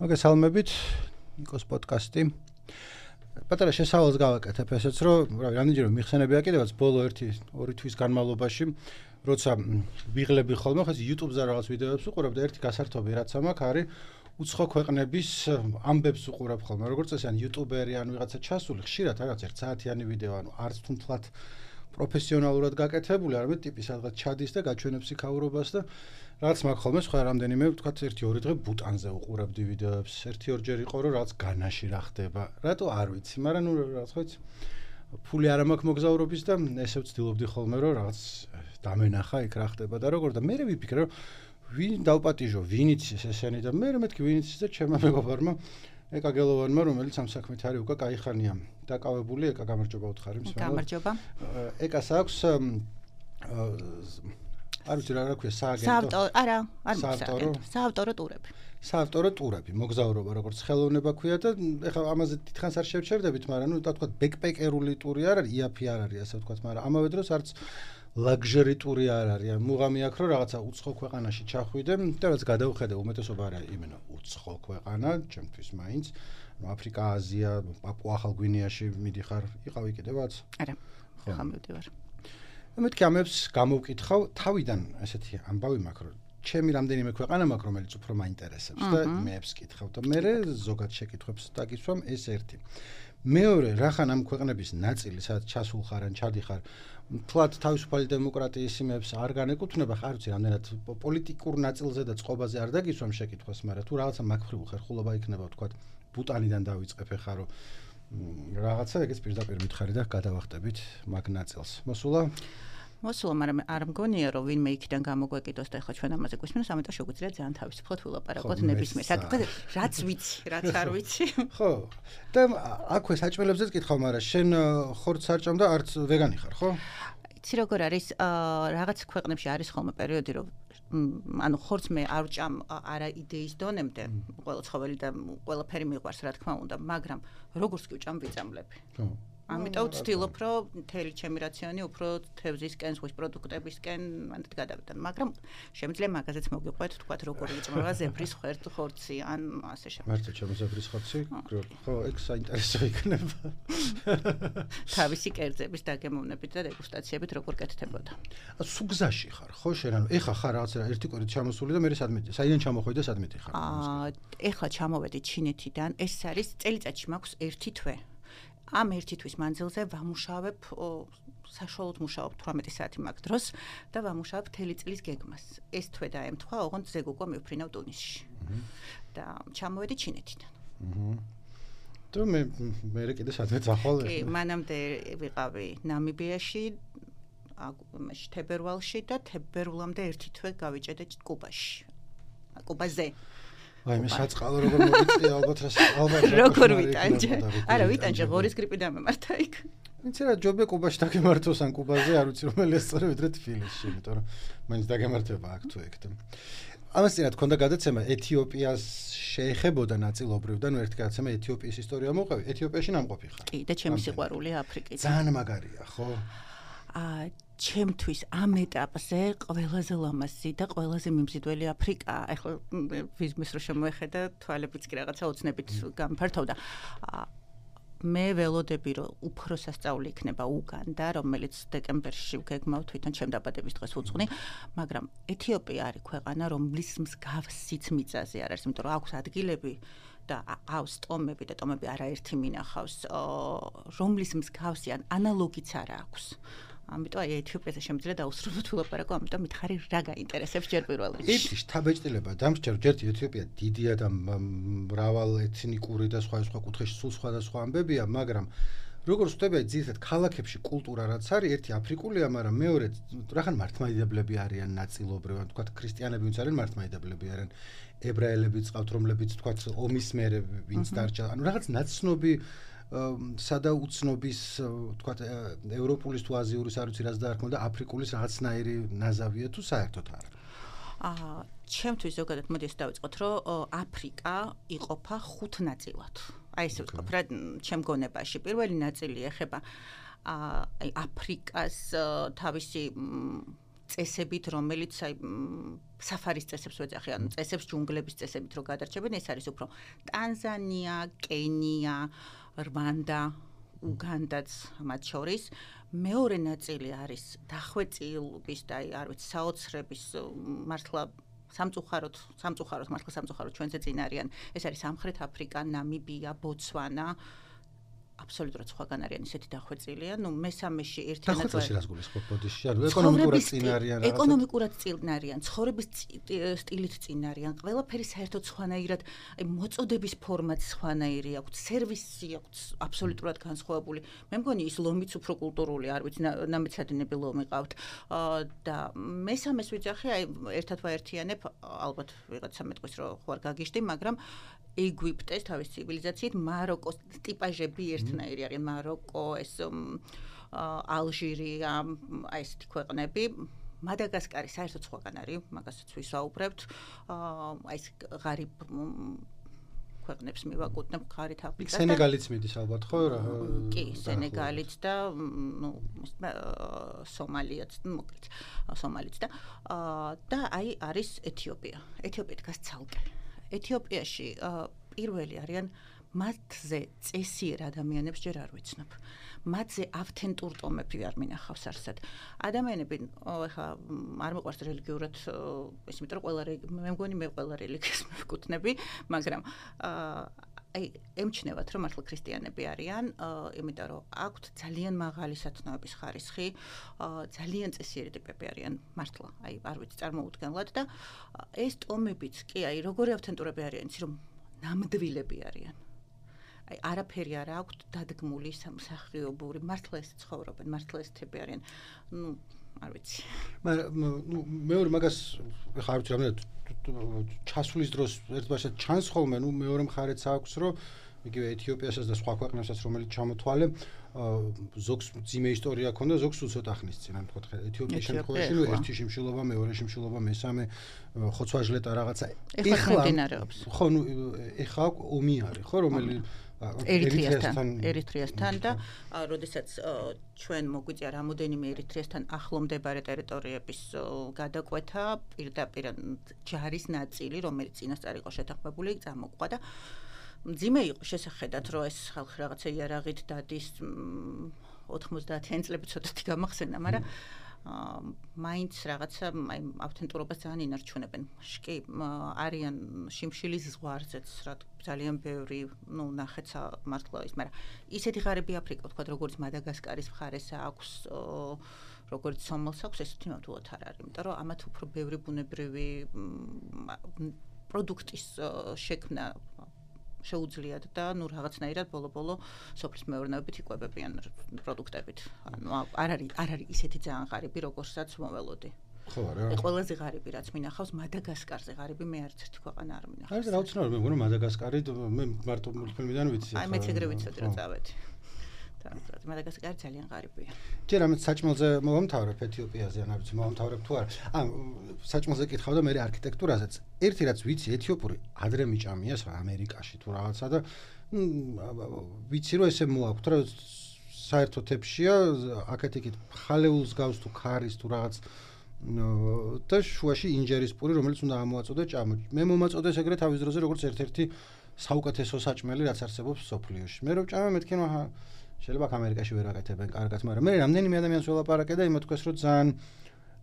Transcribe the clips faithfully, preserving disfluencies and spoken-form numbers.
მოგესალმებით, ნიკოს პოდკასტი. პატარა შესავალს გავაკეთებ ესეც, რომ რავი, რამდენჯერ მიხსენებია კიდევაც ბოლო ერთი ორი თვის განმავლობაში, როცა ვიღლები ხოლმე, ხა YouTube-ზე რაღაც ვიდეოებს უყურებ და ერთი გასართობი რაც მაქვს არის უცხო ქვეყნების ამბებს უყურებ ხოლმე. როგორც წესი, ან YouTuber-ი, ან ვიღაცა ჩასული, ხშირად რაღაც ერთ საათიანი ვიდეო, ანუ არც თუნთლად პროფესიონალურად გაკეთებული, არამედ ტიპი სადღაც ჩადის და გაჩვენებს იქაურობას და რაც მაქვს ხოლმე სხვა რამდენიმე ვთქვათ ერთი ორი დღე ბუტანზე უყურებდი ვიდეოებს. ერთი ორჯერ იყო რომ რაღაც განაში რა ხდება. რატო არ ვიცი, მაგრამ ნუ რაღაც ხო იცი. ფული არ მაქვს მოგზაურობის და ესე ვცდილობდი ხოლმე რომ რაღაც დამენახა იქ რა ხდება და როგორ და მე ვიფიქრე რომ ვინ დავპატიჟო, ვინ იცის ესენი და მე მეთქი ვინ იცის და ჩემმა მეგობარმა ეკა გელოვანმა რომელიც ამ საქმით არის უკვე კაი ხანია დაკავებული, ეკა გამარჯობა უთხარი მსმენელს. გამარჯობა. ეკას აქვს არ ვიცი რა რა ქვია სააგენტო. საავტორო, არა, არ საავტორო. საავტორო ტურები. საავტორო ტურები, მოგზაურობა როგორც ხელოვნება ქვია და ეხლა ამაზე თითქოს არ შევჩერდებით, მაგრამ ნუ თქვა ბექპეკერული ტური არ არის, იაფი არ არის ასე ვთქვათ, მაგრამ ამავე დროს არც ლაგჟერი ტური არ არის. მუღამი აქვს რომ რაღაცა უცხო ქვეყანაში ჩახვიდე და რაც გადავხედე უმეტესობა არის იმენა უცხო ქვეყანა, ჩემთვის მაინც, ნუ აფრიკა, აზია, პაპუა-ახალ გვინეაში მიდიხარ, იყავი კიდევაც? არა, ხა მივდივარ. მეთქი ამებს გამოვკითხავ, თავიდან ესეთი ამბავი მაქვს, რომ ჩემი რამდენიმე ქვეყანა მაქვს, რომელიც უფრო მაინტერესებს და მეებს კითხავ და მე ზოგად შეკითხვებს დაგისვამ ეს ერთი. მეორე, რახან ამ ქვეყნების ნაწილი, სადაც ჩასულ ხარ ან ჩადიხარ, თლად თავისუფალი დემოკრატიის იმებს არ განეკუთვნება, არ ვიცი, რამდენად პოლიტიკურ ნაწილზე და წყობაზე არ დაგისვამ შეკითხვას, მაგრამ თუ რაღაცა მაგხრივ ხერხულობა იქნება, ვთქვათ, ბუტანიდან დავიწყებ ახლა რომ რაღაცა ეგეც პირდაპირ მითხარი და გადავახტებით მაგ ნაწილს. მოსულა? მოსულა, მაგრამ არ მგონია რომ ვინმე იქიდან გამოგვეკიდოს და ახლა ჩვენ ამაზე გვისმენს, ამიტომ შეგვიძლია ძალიან თავისუფლად ვილაპარაკოთ ნებისმიერ საკითხზე, რაც ვიცი, რაც არ ვიცი. ხო. და აქვე საჭმელებზეც კითხავ, მაგრამ შენ ხორცს არ ჭამ და არც ვეგანი ხარ, ხო? იცი როგორ არის, რაღაც ქვეყნებში არის ხოლმე პერიოდი, რომ ანუ ხორცს მე არ ვჭამ არა იდეის დონემდე, ყველა ცხოველი და ყველაფერი მიყვარს რა თქმა უნდა, მაგრამ როგორც კი ვჭამ ვიწამლები. ხო. ამიტომ ვცდილობ რომ მთელი ჩემი რაციონი უფრო თევზისკენ, ზღვის პროდუქტებისკენ მანდ გადავიდან, მაგრამ შემიძლია მაგაზეც მოგიყვეთ, თქვათ როგორ იწმება ზებრის ხორცი ან ასე შემდეგ. მარტო ჩემი ზებრის ხორცი? ხო, ეგ საინტერესო იქნება. თავისი კერძების დაგემოვნებით და დეგუსტაციებით როგორ კეთდებოდა. სუგზაში ხარ, ხო შენ, ანუ ეხა ხარ რაღაცა ერთი კვირით ჩამოსული და მე სადმეტი, საიდან ჩამოხვედი და სადმეტი ხარ? აა, ეხლა ჩამოვედი ჩინეთიდან, ეს არის წელიწადში მაქვს ერთი თვე. ამ ერთი თვის მანძილზე ვამუშავებ, საშუალოდ მუშაობ თვრამეტი საათი მაქვს დროს და ვამუშავებ მთელი წლის გეგმას. ეს თვე დაემთხვა, ოღონდ ზეგ უკვე მივფრინავ ტუნისში. და ჩამოვედი ჩინეთიდან. და მე მე კიდე სადღაც ახვალ. კი, მანამდე ვიყავი ნამიბიაში, მაშინ თებერვალში და თებერვლამდე ერთი თვე გავიჭედე კუბაში. კუბაზე. აი მე საწყალო როგორ მოვიწია ალბათ რა ალბათ როგორ ვიტანჯე არა ვიტანჯე ღორის გრიპი დამემართა იქ იცი რა ჯობია კუბაში დაგემართოს ან კუბაზე არ ვიცი რომელი ესწორე ვიდრე თბილისში იმიტომ რომ მაინც დაგემართება აქ თუ ეგ და ამას წინათ ქონდა გადაცემა ეთიოპიას შეეხებოდა ნაწილობრივ და ნუ ერთი გადაცემა ეთიოპიის ისტორია მოყევი ეთიოპიაში ნამყოფი ხარ კი და ჩემი სიყვარული აფრიკით ძალიან მაგარია ხო აა ჩემთვის ამ ეტაპზე ყველაზე ლამაზი და ყველაზე მიმზიდველი აფრიკა. ახლა ვიზმის რო შემოეხედა, თვალებიც კი რაღაცა ოცნებით გამფართოვდა. მე ველოდები რომ უფრო სასწაული იქნება უგანდა, რომელიც დეკემბერში ვგეგმავ თვითონ ჩემ დაბადების დღეს უძღვნი, მაგრამ ეთიოპია არის ქვეყანა, რომლის მსგავსიც მიწაზე არ არის, იმიტომ რომ აქვს ადგილები და აქვს ტომები და ტომები არაერთი მინახავს, რომლის მსგავსი ან ანალოგიც არ აქვს. ამიტომ აი ეთიოპიაზე შემიძლია დაუსრულოთ ვილაპარაკო, ამიტომ მითხარი რა გაინტერესებს ჯერ პირველ რიგში. ერთი შთაბეჭდილება დამსჯერ ერთი ეთიოპია დიდია და მრავალ ეთნიკური და სხვა სხვა კუთხეში სულ სხვადასხვა ამბებია, მაგრამ როგორც ვთქვი, ძირითადად ქალაქებში კულტურა რაც არის, ერთი აფრიკულია, მაგრამ მეორე რახან მართლმადიდებლები არიან ნაწილობრივ, ან თქვათ ქრისტიანები ვინც არიან მართლმადიდებლები არიან, ებრაელებიც ყავთ, რომლებიც თქვათ ომის მერე ვინც დარჩა, ანუ რაღაც ნაცნობი სადა უცნობის თქვათ ევროპულის თუ აზიურის არ ვიცი რაც დაარქმევ და აფრიკულის რაღაცნაირი ნაზავია თუ საერთოდ არა. აა ჩემთვის ზოგადად მოდი ეს დავიწყოთ რომ აფრიკა იყოფა ხუთ ნაწილად. აი ესე ვთქვათ რა ჩემ გონებაში. პირველი ნაწილი ეხება აი აფრიკას თავისი წესებით, რომელიც აი საფარის წესებს ვეძახი, ანუ წესებს ჯუნგლების წესებით რო გადარჩებენ, ეს არის უფრო ტანზანია, კენია, რვანდა, უგანდაც მათ შორის. მეორე ნაწილი არის დახვეწილობის და აი არ ვიცი, საოცრების მართლა სამწუხაროდ, სამწუხაროდ, მართლა სამწუხაროდ ჩვენზე წინ არიან. ეს არის სამხრეთ აფრიკა, ნამიბია, ბოცვანა. აბსოლუტურად სხვაგან არიან ისეთი დახვეწილია. ნუ მესამეში ერთიანად დახვეწილში რას გულისხმობ ბოდიში? ანუ ეკონომიკურად წინ არიან რაღაცა. ეკონომიკურად წინ არიან, ცხოვრების სტილით წინ არიან. ყველაფერი საერთოდ სხვანაირად, აი მოწოდების ფორმაც სხვანაირი აქვს, სერვისი აქვს აბსოლუტურად განსხვავებული. მე მგონი ის ლომიც უფრო კულტურული, არ ვიცი, ნამეცადინები ლომი ყავთ. და მესამეს ვიძახი, აი ერთად ვაერთიანებ, ალბათ ვიღაცა მეტყვის რო ხوار გაგიშდი, მაგრამ ეგვიპტეს თავის ცივილიზაციით, მაროკოს ტიპაჟები ერთნაირი არიან, მაროკო, ეს ალჟირია, აი ესეთი ქვეყნები. მადაგასკარი საერთოდ სხვაგან არის, მაგასაც ვისაუბრებთ. აი ეს ღარიბ ქვეყნებს მივაკუთვნებ ღარით აფრიკას. სენეგალიც მიდის ალბათ, ხო რა? კი, სენეგალიც და ნუ სომალიაც, მოკლედ, სომალიც და და აი არის ეთიოპია. ეთიოპია დგას ცალკე. ეთიოპიაში პირველი არიან მათზე წესიერ ადამიანებს ჯერ არ ვიცნობ. მათზე ავთენტურ ტომები არ მინახავს არსად. ადამიანები ეხლა არ მიყვარს რელიგიურად ეს იმიტომ რომ ყველა მე მგონი მე ყველა რელიგიას მევკუთვნები, მაგრამ აი ემჩნევათ რომ მართლა ქრისტიანები არიან, იმიტომ რომ აქვთ ძალიან მაღალი სათნოების ხარისხი, ძალიან წესიერი ტიპები არიან მართლა, აი არ ვიცი წარმოუდგენლად და ეს ტომებიც კი აი როგორი ავთენტურები არიან, იცი რომ ნამდვილები არიან. აი არაფერი არ აქვთ დადგმული სამსახიობური, მართლა ეს ცხოვრობენ, მართლა ეს თები არიან. ნუ არ ვიცი. მაგრამ ნუ მეორე მაგას ხა არ ვიცი რამდენად ჩასვლის დროს ერთბაშად ჩანს ხოლმე, ნუ მეორე მხარეც აქვს, რომ იგივე ეთიოპიასაც და სხვა ქვეყნებსაც რომელიც ჩამოთვალე, ზოგს ძიმე ისტორია ქონდა, ზოგს უცოტა ხნის წინ, ანუ თქვა ეთიოპიის შემთხვევაში, ნუ ერთი შიმშილობა, მეორე შიმშილობა, მესამე ხოცვაჟლეტა რაღაცა. ეხლა მიმდინარეობს. ხო, ნუ ეხლა ომი არის, ხო, რომელიც ერიტრეასთან, ერიტრეასთან და როდესაც ჩვენ მოგვიწია რამოდენიმე ერიტრეასთან ახლო მდებარე ტერიტორიების გადაკვეთა, პირდაპირ ჯარის ნაწილი, რომელიც წინასწარ იყო შეთანხმებული, წამოყვა და მძიმე იყო შესახედად, რომ ეს ხალხი რაღაცა იარაღით დადის ოთხმოცდაათიან წლები ცოტათი გამახსენდა, მაგრამ მაინც რაღაცა აი ავთენტურობას ძალიან ინარჩუნებენ. კი, არიან შიმშილის ზღვარზეც, რა ძალიან ბევრი, ნუ ნახეცა მართლა ის, მაგრამ ისეთი ღარიბი აფრიკა, თქვა როგორც მადაგასკარის მხარეს აქვს, როგორც სომალს აქვს, ესეთი ნამდვილად არ არის, იმიტომ რომ ამათ უფრო ბევრი ბუნებრივი პროდუქტის შექმნა შეუძლიათ და ნუ რაღაცნაირად ბოლო-ბოლო სოფლის მეურნეობით იკვებებიან პროდუქტებით. ანუ არ არის არ არის ისეთი ძალიან ღარიბი, როგორცაც მოველოდი. ხო არა. ყველაზე ღარიბი რაც მინახავს მადაგასკარზე ღარიბი მე არც ერთი ქვეყანა არ მინახავს. არის რა უცნაური, მე მგონი მადაგასკარი მე მარტო მულტფილმიდან ვიცი. აი მეც ეგრე ვიცოდი რომ წავედი. მადაგასკარი ძალიან ღარიბია. ჯერ ამით საჭმელზე მოვამთავრებ ეთიოპიაზე, ან არ ვიცი მოვამთავრებ თუ არა. ან საჭმელზე კითხავ და მე არქიტექტურაზეც. ერთი რაც ვიცი, ეთიოპური ადრე მიჭამია ამერიკაში თუ რაღაცა და ვიცი რომ ესე მოაქვთ, რომ საერთოდ ეთშია, აქეთ-იქით ხალეულს გავს თუ ქარის თუ რაღაც და შუაში ინჯერის პური, რომელიც უნდა ამოაწოდე ჭამო. მე მომაწოდეს ეგრე თავის დროზე როგორც ერთ-ერთი საუკეთესო საჭმელი, რაც არსებობს სოფლიოში. მე რომ ჭამე, მეთქი რომ შეიძლება ამერიკაში ვერ აკეთებენ კარგად, მაგრამ მე რამდენიმე ადამიანს ველაპარაკე და იმათ თქვეს რომ ძალიან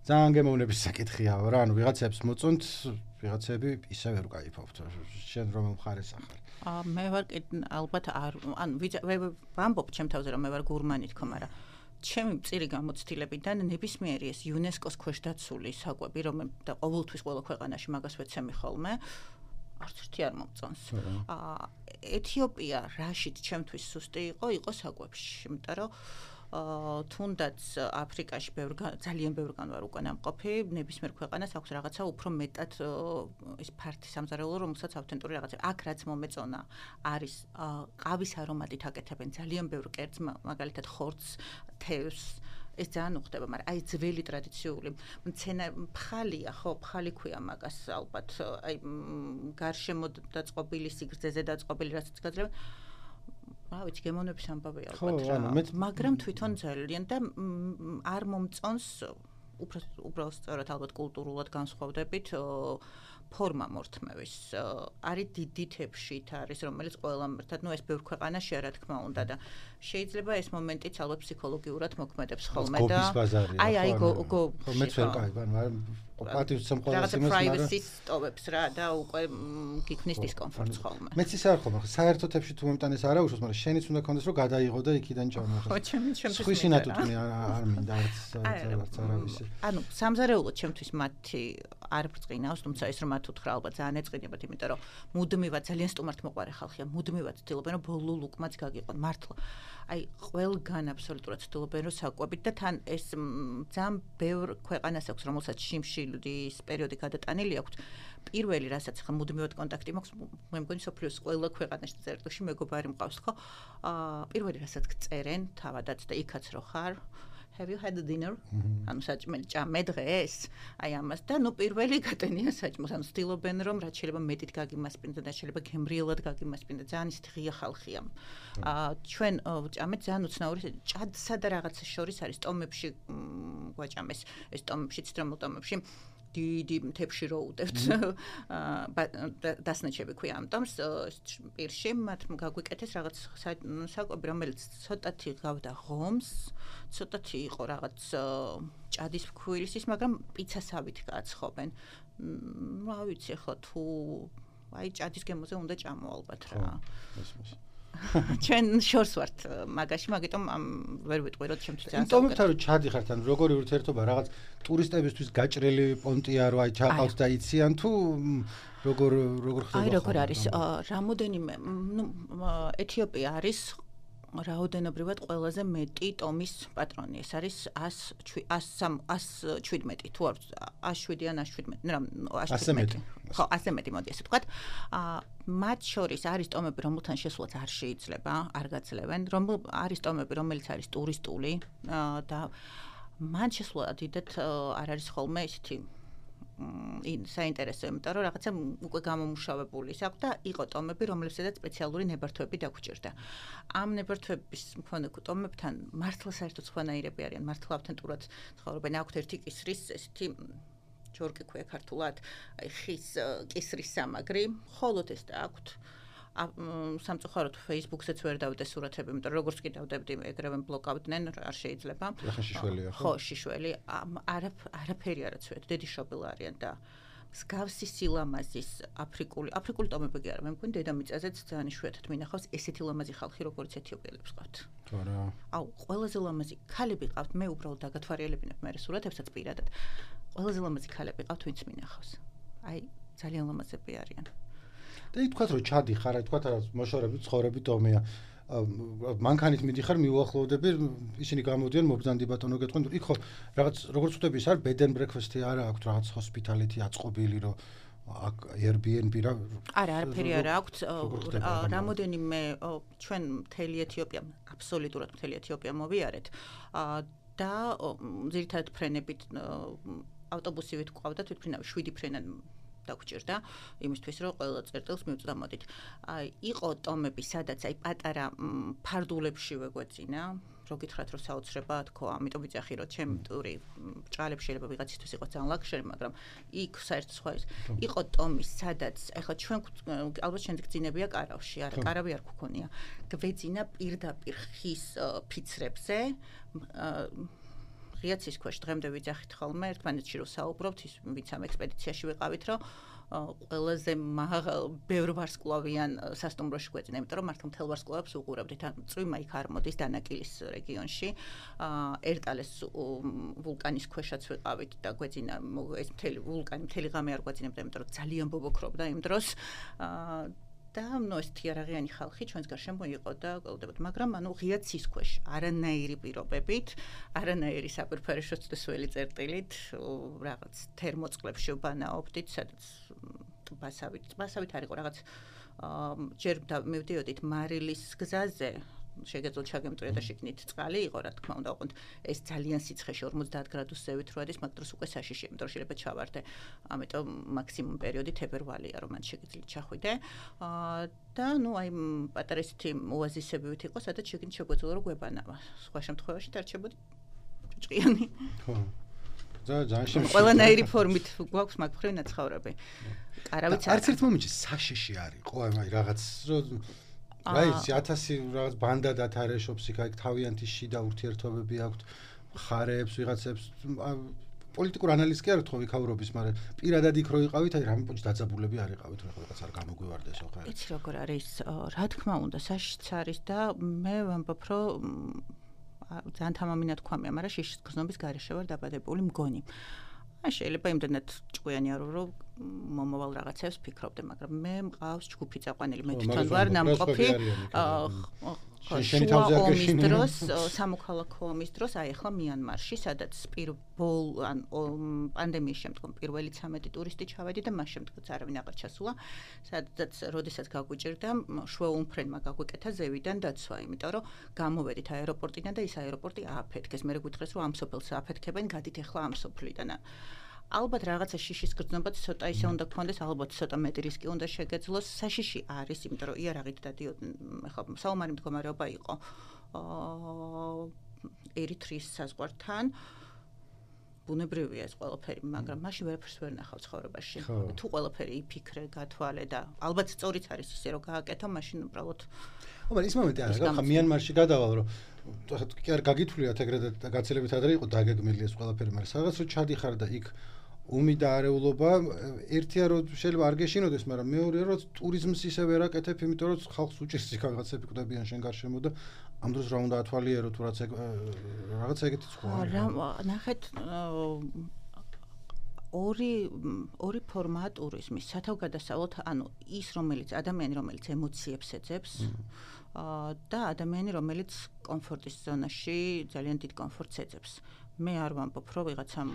ძალიან გემოვნების საკითხია რა, ანუ ვიღაცებს მოწონთ, ვიღაცები ისე ვერ უკაიფობთ. შენ რომელ მხარეს ახარ? აა მე ვარ ალბათ არ, ანუ ვამბობ ჩემ თავზე რომ მე ვარ გურმანი თქო, მაგრამ ჩემი მწირი გამოცდილებიდან ნებისმიერი ეს იუნესკოს ქვეშდაცული საკვები, რომელიც და ყოველთვის ყველა ქვეყანაში მაგას ვეცემი ხოლმე, არც ერთი არ მომწონს. აა ეთიოპია რაშიც ჩემთვის სუსტი იყო, იყო საკვებში, იმიტომ რომ აა თუნდაც აფრიკაში ბევრ ძალიან ბევრგან ვარ უკან ამყოფი, ნებისმიერ ქვეყანას აქვს რაღაცა უფრო მეტად ის ფართი სამზარეულო, რომელსაც ავთენტური რაღაცა. აქ რაც მომეწონა არის ყავის არომატით აკეთებენ ძალიან ბევრ კერძს, მაგალითად ხორცს, თევზს. ეს ძალიან უხდება, მაგრამ აი ძველი ტრადიციული მცენა ფხალია, ხო, ფხალი ქვია მაგას ალბათ, აი გარშემო დაწყობილი, სიგრძეზე დაწყობილი რასაც გაძლევენ. რა ვიცი, გემოვნების ამბავი ალბათ რა. მაგრამ თვითონ ძალიან და არ მომწონს უბრალოდ სწორად ალბათ კულტურულად განსხვავდებით ფორმა მორთმევის არის დიდი თეფშით არის რომელიც ყველამ ერთად ნუ ეს ბევრ ქვეყანაში რა თქმა უნდა და შეიძლება ეს მომენტიც ალბათ ფსიქოლოგიურად მოქმედებს ხოლმე და აი აი გო მეც ვერ კაი ანუ პატივს სამყაროს იმას მაგრამ privacy სტოვებს რა და უკვე გიქმნის დისკომფორტს ხოლმე მეც ისე არ ხომ საერთო თეფში თუ მომტან ეს არა უშავს მაგრამ შენიც უნდა კონდეს რომ გადაიღო და იქიდან ჩამოხო ხო ჩემი ჩემთვის ხვის ინატუტუნი არ მინდა არც არც არავისი ანუ სამზარეულოდ ჩემთვის მათი არ ბრწყინავს თუმცა ეს რომ მათ უთხრა ალბათ ძალიან ეწყინებათ იმიტომ რომ მუდმივად ძალიან სტუმართ მოყარე ხალხია მუდმივად ცდილობენ რომ ბოლო ლუკმაც გაგიყონ მართლა აი ყველგან აბსოლუტურად ცდილობენ რომ საკვებით და თან ეს ძალიან ბევრ ქვეყანას აქვს რომელსაც შიმშილდის პერიოდი გადატანილი აქვს პირველი რასაც ხა მუდმივად კონტაქტი მაქვს მე მგონი სოფლიოს ყველა ქვეყანაში წერტილში მეგობარი მყავს ხო პირველი რასაც წერენ თავადაც და იქაც რო ხარ Have you had a dinner? ანუ საჭმელი ჭამე დღეს? აი ამას და ნუ პირველი გატენია საჭმელს. ანუ ცდილობენ რომ რაც შეიძლება მეტით გაგიმასპინდონ და შეიძლება გემრიელად გაგიმასპინდონ. ძალიან ისეთი ღია ხალხია. აა ჩვენ ჭამეთ ძალიან უცნაური ჭადსა და რაღაცას შორის არის ტომებში გვაჭამეს. ეს ტომებში ცდრემელ ტომებში დიდი თეფში რო უდევთ დასნეჩები ქვია ამ ტომს პირში მათ გაგვიკეთეს რაღაც საკვები რომელიც ცოტათი გავდა ღომს ცოტათი იყო რაღაც ჭადის ფქვილისის მაგრამ პიცასავით გააცხობენ რა ვიცი ხო თუ აი ჭადის გემოზე უნდა ჭამო ალბათ რა ჩვენ შორს ვართ მაგაში მაგიტომ ვერ ვიტყვი რომ ჩემთვის ძალიან ტომებთან რომ ჩადიხართ ან როგორი ურთიერთობა რაღაც ტურისტებისთვის გაჭრელი პონტია რომ აი ჩაყავთ და იციან თუ როგორ როგორ ხდება აი როგორ არის რამოდენიმე ნუ ეთიოპია არის რაოდენობრივად ყველაზე მეტი ტომის პატრონი ეს არის ას შვიდმეტი თუ არ ას შვიდი ან ას შვიდმეტი ნუ ას შვიდმეტი ხო ასე მეტი მოდი ესე ვთქვათ მათ შორის არის ტომები რომელთან შესვლაც არ შეიძლება არ გაძლევენ რომ არის ტომები რომელიც არის ტურისტული და მან შესვლა დიდად არ არის ხოლმე ისეთი საინტერესო იმიტომ რომ რაღაცა უკვე გამომუშავებული აქვს და იყო ტომები რომლებსაც სპეციალური ნებართვები დაგუჭირდა ამ ნებართვების მქონე ტომებთან მართლა საერთოდ სხვანაირები არიან მართლა ავთენტურად ცხოვრობენ აქვთ ერთი კისრის ესეთი ჯორკი ქვია ქართულად აი ხის კისრის სამაგრი ხოლოდ ეს და აქვთ სამწუხაროდ Facebook-ზეც ვერ დავდე სურათები, იმიტომ რომ როგორც კი დავდებდი, ეგრევე ბლოკავდნენ, არ შეიძლება. ახლა შიშველია ხო? ხო, შიშველი. არაფერი არ აცვეთ, დედიშობილ არიან და მსგავსი სილამაზის აფრიკული, აფრიკული ტომები კი არა, მე მგონი დედამიწაზეც ძალიან იშვიათად მინახავს ესეთი ლამაზი ხალხი, როგორც ეთიოპიელებს ყავთ. არა. აუ, ყველაზე ლამაზი ქალები ყავთ, მე უბრალოდ დაგათვალიერებინებ მე სურათებსაც პირადად. ყველაზე ლამაზი ქალები ყავთ, ვინც მინახავს. აი, ძალიან ლამაზები არიან. და ითქვათ რომ ჩადიხარ, ითქვათ რა მოშორები, ცხოვრები ტომია. მანქანით მიდიხარ, მიუახლოვდები, ისინი გამოდიან მობრძანდი ბატონო გეტყვენ, იქ ხო რაღაც როგორც ვთქვი, ის არის bed and breakfast-ი არა აქვს რაღაც hospitality აწყობილი რომ აქ Airbnb რა არა, არაფერი არა აქვს. რამოდენიმე ჩვენ მთელი ეთიოპია, აბსოლუტურად მთელი ეთიოპია მოვიარეთ და ძირითადად ფრენებით ავტობუსივით გვყავდა თვითმფრინავი შვიდი ფრენა დაგჭირდა იმისთვის რომ ყველა წერტილს მივწდა მოდით. აი იყო ტომები სადაც აი პატარა ფარდულებში ვეგვეცინა რო გითხრათ რომ საოცრება თქო ამიტომ ვიძახი რომ ჩემ ტური ჭალებს შეიძლება ვიღაცისთვის იყოს ძალიან ლაქშერი მაგრამ იქ საერთოდ სხვა ის იყო ტომის სადაც ეხლა ჩვენ ალბათ შენ გძინებია კარავში არა კარავი არ გქონია გვეძინა პირდაპირ ხის ფიცრებზე ღიაცის ქვეშ დღემდე ვიძახით ხოლმე ერთმანეთში რომ საუბრობთ ის ვინც ამ ექსპედიციაში ვიყავით რომ ყველაზე მაღალ ბევრ ვარსკვლავიან სასტუმროში გვეძინა იმიტომ რომ მართლა მთელ ვარსკვლავებს უყურებდით ან წვიმა იქ არ მოდის დანაკილის რეგიონში ერტალეს ვულკანის ქვეშაც ვიყავით და გვეძინა ეს მთელი ვულკანი მთელი ღამე არ გვეძინებდა იმიტომ რომ ძალიან ბობოქრობდა იმ დროს და ნუ ეს თიარაღიანი ხალხი ჩვენს გარშემო იყო და გველდებოდ მაგრამ ანუ ღია ცის ქვეშ არანაირი პირობებით არანაირი საფერფერიშო წველი წერტილით რაღაც თერმოწყლებში ვბანაობდით სადაც ტბასავით ტბასავით არ იყო რაღაც ჯერ მივდიოდით მარილის გზაზე შეგეძლოთ ჩაგემტვრია და შიგნით წყალი იყო რა თქმა უნდა ოღონდ ეს ძალიან სიცხეში ორმოცდაათ გრადუსებით რო არის მაგ დროს უკვე საშიში იმიტომ რომ შეიძლება ჩავარდე ამიტომ მაქსიმუმ პერიოდი თებერვალია რომ მან შეგიძლიათ ჩახვიდე და ნუ აი პატარა ისეთი ოაზისებივით იყო სადაც შეგინთ შეგვეძლო რომ გვებანავა სხვა შემთხვევაში დარჩებოდი ჭჭყიანი ხო ძალიან შემიძლია. ყველანაირი ფორმით გვაქვს მაგფრივ ნაცხოვრები. არავის არც ერთ მომენტში საშიში არის, ხო, აი რაღაც რა ის ათასი რაღაც ბანდა დათარეშობს იქ, აი თავიანთი შიდა ურთიერთობები აქვთ, ხარებს, ვიღაცებს პოლიტიკურ ანალიზს კი არ თქო ვიქაურობის, მაგრამ პირადად იქ რო იყავით, აი რამე პოჭი დაძაბულები არ იყავით, რა რაღაც არ გამოგვივარდესო ხარ. იცი როგორ არის, რა თქმა უნდა, საშიშიც არის და მე ვამბობ, რომ ძალიან თამამინად გვამია, მაგრამ შიშის გზნობის გარეშე ვარ დაბადებული მგონი. აი შეიძლება იმდენად ჭკვიანი არ ვარ, რომ მომავალ რაღაცებს ფიქრობდე, მაგრამ მე მყავს ჯგუფი წაყვანილი, მე თვითონ ვარ ნამყოფი. შუა ომის დროს, სამოქალაქო ომის დროს, აი ახლა მიანმარში, სადაც პირველ ან პანდემიის შემდგომ პირველი ცამეტი ტურისტი ჩავედი და მას შემდგომაც არავინ აღარ ჩასულა, სადაც როდესაც გაგვიჭირდა, შვეულმფრენმა გაგვიკეთა ზევიდან დაცვა, იმიტომ რომ გამოვედით აეროპორტიდან და ის აეროპორტი ააფეთქეს. მე გვითხეს, რომ ამ სოფელს ააფეთქებენ, გადით ახლა ამ სოფლიდან. ალბათ რაღაცა შიშის გრძნობაც ცოტა ისე უნდა გქონდეს, ალბათ ცოტა მეტი რისკი უნდა შეგეძლოს. საშიში არის, იმიტომ რომ იარაღით დადიოდნენ, ხო, საომარი მდგომარეობა იყო ერიტრიის საზღვართან. ბუნებრივია ეს ყველაფერი, მაგრამ მაშინ ვერაფერს ვერ ნახავ ცხოვრებაში. თუ ყველაფერი იფიქრე, გათვალე და ალბათ სწორიც არის ისე, რომ გააკეთო, მაშინ უბრალოდ ომარ ის მომენტი არის, ხა მიანმარში გადავალ, რომ კი არ გაგითვლიათ ეგრეთ და გაცილებით ადრე იყო დაგეგმილი ეს ყველაფერი, მაგრამ სადაც რო ჩადიხარ და იქ ომი და არეულობა ერთია რომ შეიძლება არ გეშინოდეს, მაგრამ მეორეა რომ ტურიზმს ისე ვერ აკეთებ, იმიტომ რომ ხალხს უჭირს იქ რაღაცები კვდებიან შენ გარშემო და ამ დროს რა უნდა ათვალიერო თუ რაც რაღაცა ეგეთი სხვა არის. რა ნახეთ ორი ორი ფორმაა ტურიზმის. სათავგადასავლოთ, ანუ ის რომელიც ადამიანი რომელიც ემოციებს ეძებს და ადამიანი რომელიც კომფორტის ზონაში ძალიან დიდ კომფორტს ეძებს. მე არ ვამბობ, რომ ვიღაცამ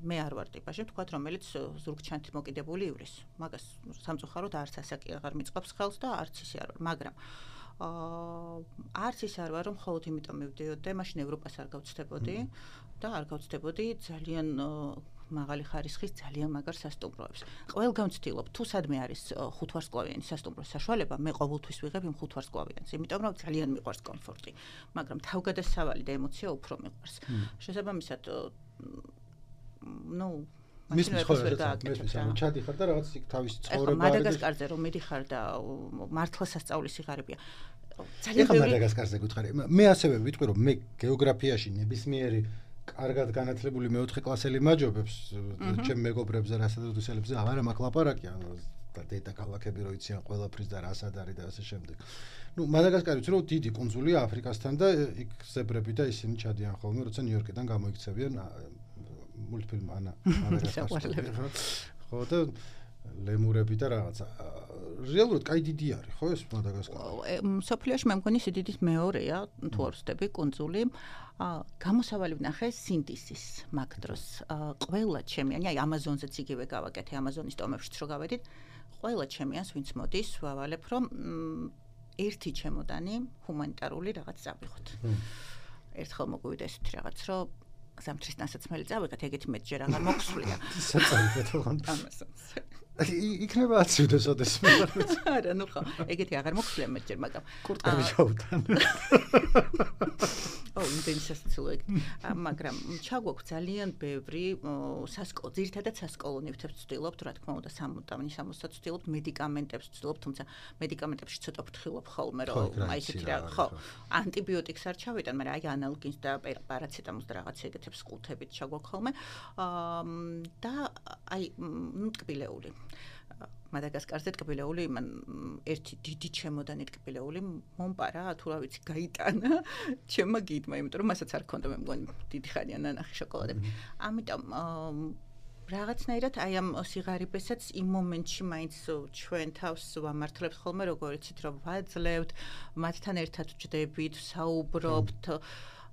მე არ ვარ ტიპაში, თქვათ, რომელიც ზურგჩანთი მოკიდებული ივრის. მაგას სამწუხაროდ არც ასაკი აღარ მიწყობს ხელს და არც ისე არ ვარ, მაგრამ აა არც ის არ ვარ, რომ მხოლოდ იმიტომ მივდიოდი, მაშინ ევროპას არ გავცდებოდი და არ გავცდებოდი ძალიან მაღალი ხარისხის ძალიან მაგარ სასტუმროებს. ყველგან ვცდილობ, თუ სადმე არის ხუთვარსკვლავიანი სასტუმროს საშუალება, მე ყოველთვის ვიღებ იმ ხუთვარსკვლავიანს, იმიტომ რომ ძალიან მიყვარს კომფორტი, მაგრამ თავგადასავალი და ემოცია უფრო მიყვარს. შესაბამისად, ну, მის მის ჩადიხარ და რაღაც იქ თავის ცხოვრება არის. მადაგასკარზე რომ მიდიხარ და მართლა სასწაულის სიღარიბეა. ძალიან ბევრი მადაგასკარზე გითხარი. მე ასევე ვიტყვი რომ მე გეოგრაფიაში ნებისმიერი კარგად განათლებული მეოთხე კლასელი მაჯობებს, ჩემ მეგობრებს და რასადადოსელებს აღარ მაქვს ლაპარაკი, ანუ და დედა ქალაქები რო იციან ყველაფრის და რასად არის და ასე შემდეგ. ნუ მადაგასკარი ვიცი რომ დიდი კუნძულია აფრიკასთან და იქ ზებრები და ისინი ჩადიან ხოლმე, როცა ნიუ-იორკიდან გამოიქცევიან მულტფილმ ანა მადაგასკარი. ხო და ლემურები და რაღაცა. რეალურად კაი დიდი არის, ხო ეს მადაგასკარი? სოფლიოში მე მგონი სიდიდით მეორეა, თუ არ ვცდები, კუნძული. გამოსავალი ვნახე სინდისის მაგ დროს. ყველა ჩემიანი, აი ამაზონზეც იგივე გავაკეთე, ამაზონის ტომებშიც რო გავედით, ყველა ჩემიანს ვინც მოდის, ვავალებ, რომ ერთი ჩემოდანი ჰუმანიტარული რაღაც წავიღოთ. ერთხელ მოგვივიდა ესეთი რაღაც, რომ ზამთრის დასაცმელი წავიღეთ, ეგეთი მეტჯერ აღარ მოგვსვლია. საწავიღეთ ოღონდ. ამასონს. იქნება აცივდეს ოდეს მე. არა, ნუ ხო, ეგეთი აღარ მოგვსვლია მეტჯერ, მაგრამ კურტკები ჩაუთან. ო, ინტენსივურად. მაგრამ ჩაგვაქვს ძალიან ბევრი სასკოლო, ძირითადად სასკოლო ნივთებს ვცდილობთ, რა თქმა უნდა, სამუდამი სამოსაც ვცდილობთ, მედიკამენტებს ვცდილობთ, თუმცა მედიკამენტებში ცოტა ვფრთხილობ ხოლმე, რომ აი ესეთი რა, ხო, ანტიბიოტიკს არ ჩავიტან, მაგრამ აი ანალგინს და პარაცეტამოლს და რაღაც ეგეთებს ყუთებით ჩაგვაქვს ხოლმე. და აი, ნუ ტკბილეული. მადაგასკარზე ტკბილეული, მან ერთი დიდი ჩემოდანი ტკბილეული მომპარა, თუ რა ვიცი, გაიტანა ჩემმა გიდმა, იმიტომ რომ მასაც არ ქონდა მე მგონი დიდი ხანია ნანახი შოკოლადები. ამიტომ რაღაცნაირად აი ამ სიღარიბესაც იმ მომენტში მაინც ჩვენ თავს ვამართლებთ ხოლმე, როგორ იცით, რომ ვაძლევთ, მათთან ერთად ვჯდებით, საუბრობთ,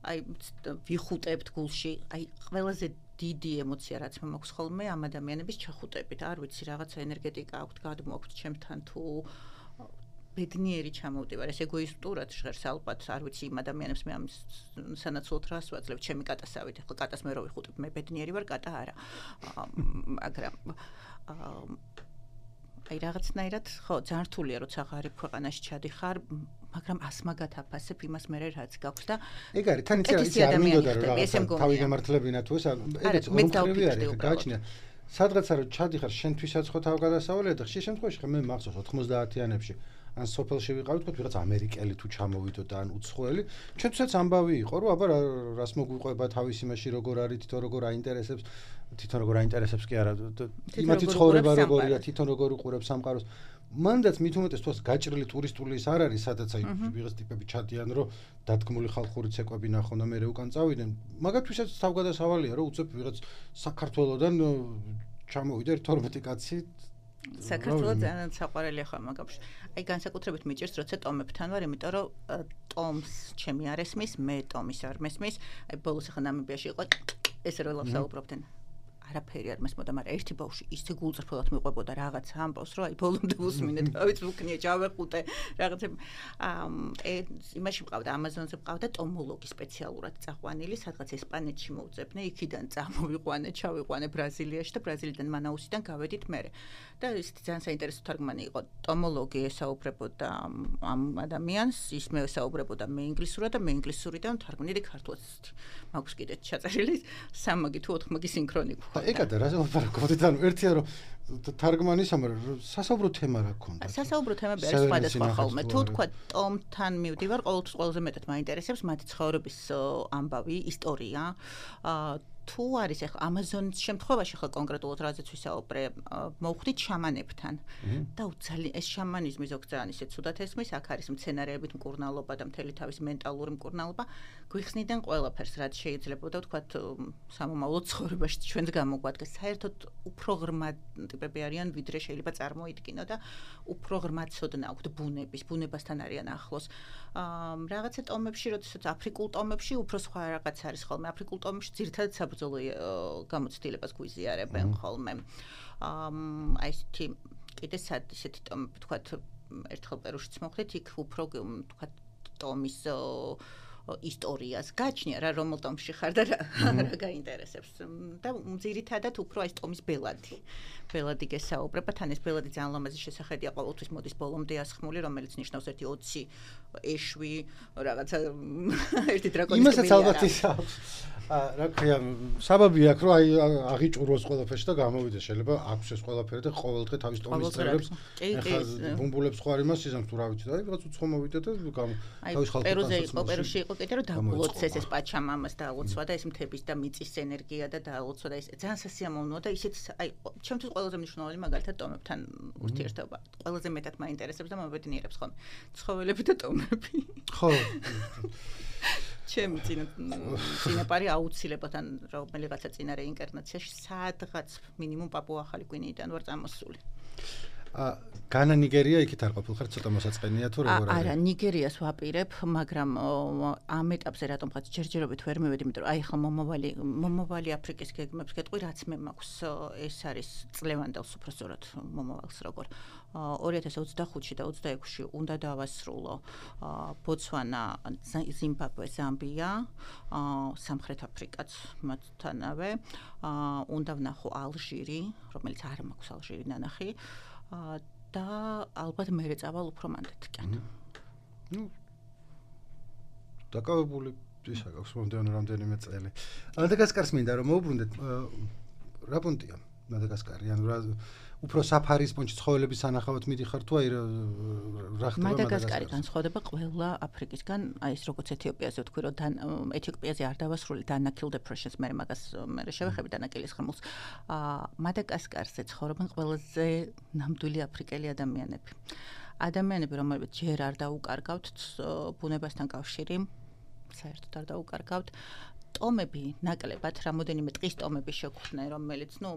აი ვიხუტებთ გულში, აი ყველაზე დიდი ემოცია რაც მე მაქვს ხოლმე ამ ადამიანების ჩახუტებით. არ ვიცი, რაღაცა ენერგეტიკა აქვთ, გადმოაქვთ ჩემთან თუ ბედნიერი ჩამოვდივარ, ეს ეგოისტურად ჟღერს ალბათ, არ ვიცი იმ ადამიანებს მე ამ სანაცვლოდ რას ვაძლევ, ჩემი კატასავით, ახლა კატას მე რო ვიხუტებ, მე ბედნიერი ვარ, კატა არა. მაგრამ აი რაღაცნაირად ხო ძალიან რთულია როცა ღარიბ ქვეყანაში ჩადიხარ მაგრამ ასმაგათ აფასებ იმას მე რაც გაქვს და ეგ არის თან იცი არ მინდოდა რომ რაღაცა თავი გამართლებინა თუ ეს ეგეც რომხრივი არის გააჩნია სადღაცა რომ ჩადიხარ შენთვისაც ხო თავგადასავალია და ხშირ შემთხვევაში ხე მე მახსოვს ოთხმოცდაათიანებში ან სოფელში ვიყავით თქო ვიღაც ამერიკელი თუ ჩამოვიდო და ან უცხოელი ჩვენთვისაც ამბავი იყო რომ აბა რას მოგვიყვება თავის იმაში როგორ არის თვითონ როგორ აინტერესებს თვითონ როგორ აინტერესებს კი არა იმათი ცხოვრება როგორია თვითონ როგორ უყურებს სამყაროს მანდაც მით უმეტეს თოს გაჭრილი ტურისტული ის არ არის სადაც აი ვიღაც ტიპები ჩადიან რომ დადგმული ხალხური ცეკვები ნახონ და მე უკან წავიდნენ მაგათვისაც თავგადასავალია რომ უცებ ვიღაც საქართველოსდან ჩამოვიდა თორმეტი კაცი საქართველოს ძალიან საყვარელი ხარ მაგაში. აი განსაკუთრებით მიჭირს როცა ტომებთან ვარ, იმიტომ რომ ტომს ჩემი არ ესმის, მე ტომის არ მესმის. აი ბოლოს ახლა ნამიბიაში იყო ეს როლავს საუბრობდნენ. არაფერი არ მესმოდა, მაგრამ ერთი ბავშვი ისე გულწრფელად მიყვებოდა რაღაც ამბავს, რომ აი ბოლომდე უსმინეთ, ავიც ვუქნია, ჩავეყუტე რაღაცა. აა იმაში მყავდა Amazon-ზე მყავდა ტომოლოგი სპეციალურად წაყვანილი, სადღაც ესპანეთში მოვწებნე, იქიდან წამოვიყვანე, ჩავიყვანე ბრაზილიაში და ბრაზილიიდან მანაუსიდან გავედით მერე. და ის ძალიან საინტერესო თარგმანი იყო. ტომოლოგი ესაუბრებოდა ამ ადამიანს, ის მე ესაუბრებოდა მე ინგლისურად და მე ინგლისურიდან თარგმნილი ქართულად. მაქვს კიდე ჩაწერილი სამმაგი თუ ოთხმაგი სინქრონი. ეგადა რა ლაპარაკობდით ანუ ერთია რომ თარგმანის ამარ სასაუბრო თემა რა ქონდა სასაუბრო თემები არის სხვადასხვა ხოლმე თუ თქვა ტომთან მივდივარ ყოველთვის ყველაზე მეტად მაინტერესებს მათი ცხოვრების ამბავი ისტორია თუ არის ახლა Amazon-ის შემთხვევაში ახლა კონკრეტულად რაზეც ვისაუბრე მოვხდით შამანებთან და უცალი ეს შამანიზმი ზოგ ძალიან ისე ცუდად ესმის აქ არის მცენარეებით მკურნალობა და მთელი თავის მენტალური მკურნალობა გვიხსნიდან ყველაფერს რაც შეიძლება და თქვა სამომავლო ცხოვრებაში ჩვენს გამოგვადგეს საერთოდ უფრო ღრმა ტიპები არიან ვიდრე შეიძლება წარმოიდგინო და უფრო ღრმა ცოდნა აქვთ ბუნების ბუნებასთან არიან ახლოს რაღაცა ტომებში როდესაც აფრიკულ ტომებში უფრო სხვა რაღაც არის ხოლმე აფრიკულ ტომებში ძირითადად საბრძოლო გამოცდილებას გვიზიარებენ ხოლმე აი ესეთი კიდე სად ისეთი ტომები თქვა ერთხელ პერუშიც მოხდით იქ უფრო თქვა ტომის ისტორიას გაჩნია რა რომელ ტომში ხარ და რა გაინტერესებს და ძირითადად უფრო აი ტომის ბელადი ბელადი გესაუბრება თან ეს ბელადი ძალიან ლამაზი შესახედია ყოველთვის მოდის ბოლომდე ასხმული რომელიც ნიშნავს ერთი ოცი ეშვი რაღაცა ერთი დრაკონის იმასაც ალბათ ის აქვს რა ქვია საბაბი აქვს რომ აი აღიჭუროს ყველაფერში და გამოვიდეს შეიძლება აქვს ეს ყველაფერი და ყოველდღე თავის ტომის წერებს ეხლა ბუმბულებს ხო არ იმას იზამს თუ რა ვიცი და აი რაღაც უცხო მოვიდა და თავის ხალხს პერუზე იყო პერუში იყო კიდე რომ დაულოცეს ეს პაჩამამას დაულოცვა და ეს მთების და მიწის ენერგია და დაულოცვა და ეს ძალიან სასიამოვნოა და ისეთ აი ჩემთვის ყველაზე მნიშვნელოვანი მაგალითად ტომებთან ურთიერთობა ყველაზე მეტად მაინტერესებს და მომბედნიერებს ხოლმე ცხოველები და ტომები ხო ჩემი წინაპარი აუცილებლად ან რომელიღაცა წინა რეინკარნაციაში სადღაც მინიმუმ პაპუა ახალი გვინეიდან ვარ წამოსული განა ნიგერია იქით არ ყოფილხარ ცოტა მოსაწყენია თუ როგორ არის არა ნიგერიას ვაპირებ მაგრამ ამ ეტაპზე რატომღაც ჯერჯერობით ვერ მივედი იმიტომ რომ აი ხა მომავალი მომავალი აფრიკის გეგმებს გეტყვი რაც მე მაქვს ეს არის წლევანდელს უფრო სწორად მომავალს როგორ ორი ათას ოცდახუთში და ოცდაექვსში უნდა დავასრულო ბოცვანა ზიმბაბვე ზამბია სამხრეთ აფრიკაც მათთანავე უნდა ვნახო ალჟირი რომელიც არ მაქვს ალჟირი ნანახი და ალბათ მე წავალ უფრო მანდეთკენ. ნუ დაკავებული ისა გაქვს მომდევნო რამდენიმე წელი. მადაგასკარს მინდა რომ მოუბრუნდეთ რა პუნქტია მადაგასკარი ანუ რა უფრო საფარის პუნქტში ცხოველების სანახავად მიდიხარ თუ აი რა ხდება მადაგასკარი განსხვავდება ყველა აფრიკისგან აი ეს როგორც ეთიოპიაზე ვთქვი რომ ეთიოპიაზე არ დავასრულე დანაკილ depressions მე მაგას მე შევეხები დანაკილის ხმულს მადაგასკარზე ცხოვრობენ ყველაზე ნამდვილი აფრიკელი ადამიანები ადამიანები რომლებიც ჯერ არ დაუკარგავთ ბუნებასთან კავშირი საერთოდ არ დაუკარგავთ ტომები ნაკლებად რამოდენიმე ტყის ტომები შეგვხვდნენ რომელიც ნუ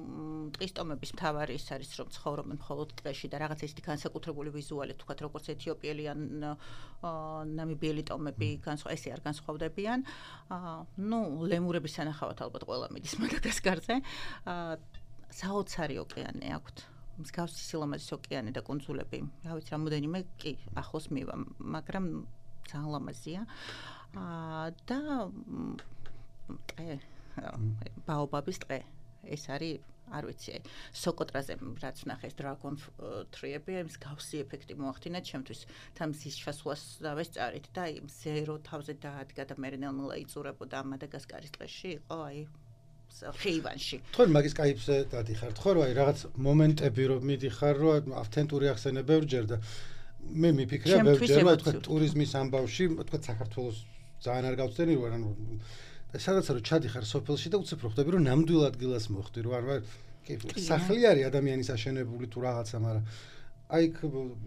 ტყის ტომების მთავარი ის არის რომ ცხოვრობენ მხოლოდ ტყეში და რაღაც ისეთი განსაკუთრებული ვიზუალი თქვათ როგორც ეთიოპიელი ან ნამიბიელი ტომები განსხვავ ესე არ განსხვავდებიან ნუ ლემურების სანახავად ალბათ ყველა მიდის მადაგასკარზე საოცარი ოკეანე აქვთ მსგავსი სილამაზის ოკეანე და კუნძულები რა ვიცი რამოდენიმე კი ახლოს მივა მაგრამ ძალიან ლამაზია და ტყე ბაობაბის ტყე ეს არის არ ვიცი, აი, სოკოტრაზე რაც ვნახე ეს Dragon Tree-ები, ეს გავსი ეფექტი მოახდინა ჩემთვის. თან მზის ჩასვლას დავესწარით და აი ზერო თავზე დაადგა და მე ნელ-ნელა იწურებოდა მადაგასკარის ტყეში იყო, აი ხეივანში. თქვენ მაგის კაიფზე დადიხართ, ხო, რომ აი რაღაც მომენტები რომ მიდიხარ, რომ ავთენტური ახსენე ბევრჯერ და მე მიფიქრე ბევრჯერ, რომ თქვენ ტურიზმის ამბავში, თქვენ საქართველოს ძალიან არ გავწდენი რომ ანუ სადაც რომ ჩადიხარ სოფელში და უცებ რო ხვდები რომ ნამდვილ ადგილას მოხვდი რომ არ ვარ კი სახლი არის ადამიანის აშენებული თუ რაღაცა, მაგრამ აი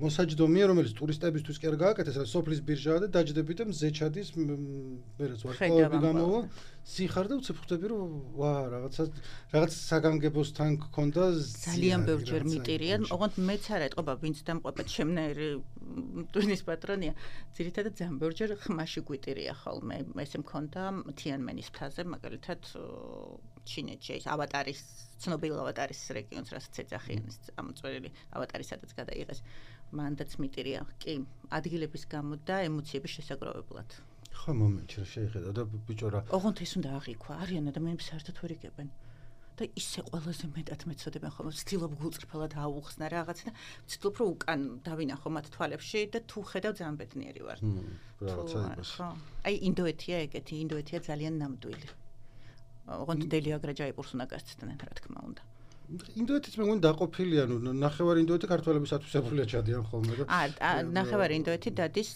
მოსაჯდომია რომელიც ტურისტებისთვის კი არ გააკეთეს, რა სოფლის ბირჟაა და დაჯდები და მზე ჩადის, მე რაც ვარსკვლავები გამოვა, სიხარ და უცებ ხვდები რომ ვა რაღაცა რაღაც საგანგებოსთან გქონდა ძალიან ბევრჯერ მიტირიან, ოღონდ მეც არ ეტყობა ვინც დამყვება ჩემნაირი ტვინის პატრონია, ძირითადად ძალიან ბევრჯერ ხმაში გვიტირია ხოლმე, ესე მქონდა თიანმენის მთაზე, მაგალითად ჩინეთში ის ავატარის ცნობილ ავატარის რეგიონს, რასაც ეძახიან ეს ამოწვეული ავატარი სადაც გადაიღეს, მანდაც მიტირია, კი, ადგილების გამო და ემოციების შესაგროვებლად. ხო, მომენტში რა შეიხედა და ბიჭო რა. ოღონდ ეს უნდა აღიქვა, არიან ადამიანები საერთოდ ვერ იგებენ. და ისე ყველაზე მეტად მეცოდებენ ხოლმე, ვცდილობ გულწრფელად აუხსნა რაღაცა და ვცდილობ რომ უკან დავინახო მათ თვალებში და თუ ხედავ ძალიან ბედნიერი ვარ. რაღაცა აი ინდოეთია ეგეთი, ინდოეთია ძალიან ნამდვილი. ოღონდ დელი აგრაჯაიპურს უნდა გასცდნენ, რა თქმა უნდა. ინდოეთიც მე მგონი დაყოფილია, ნუ ნახევარი ინდოეთი ქართველების ათვისებულია ჩადიან ხოლმე და აა ნახევარი ინდოეთი დადის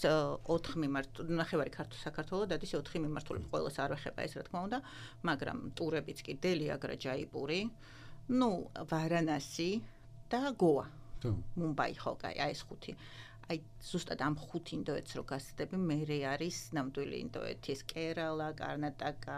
ოთხ მიმართ, ნახევარი საქართველო დადის ოთხი მიმართულებით, ყველას არ ვეხება ეს რა თქმა უნდა, მაგრამ ტურებიც კი დელი აგრაჯაიპური, ნუ ვარანასი და გოა. მუმბაი ხო, აი ეს ხუთი. აი ზუსტად ამ ხუთ ინდოეთს რო გასცდები, მერე არის ნამდვილი ინდოეთი, ეს კერალა, კარნატაკა,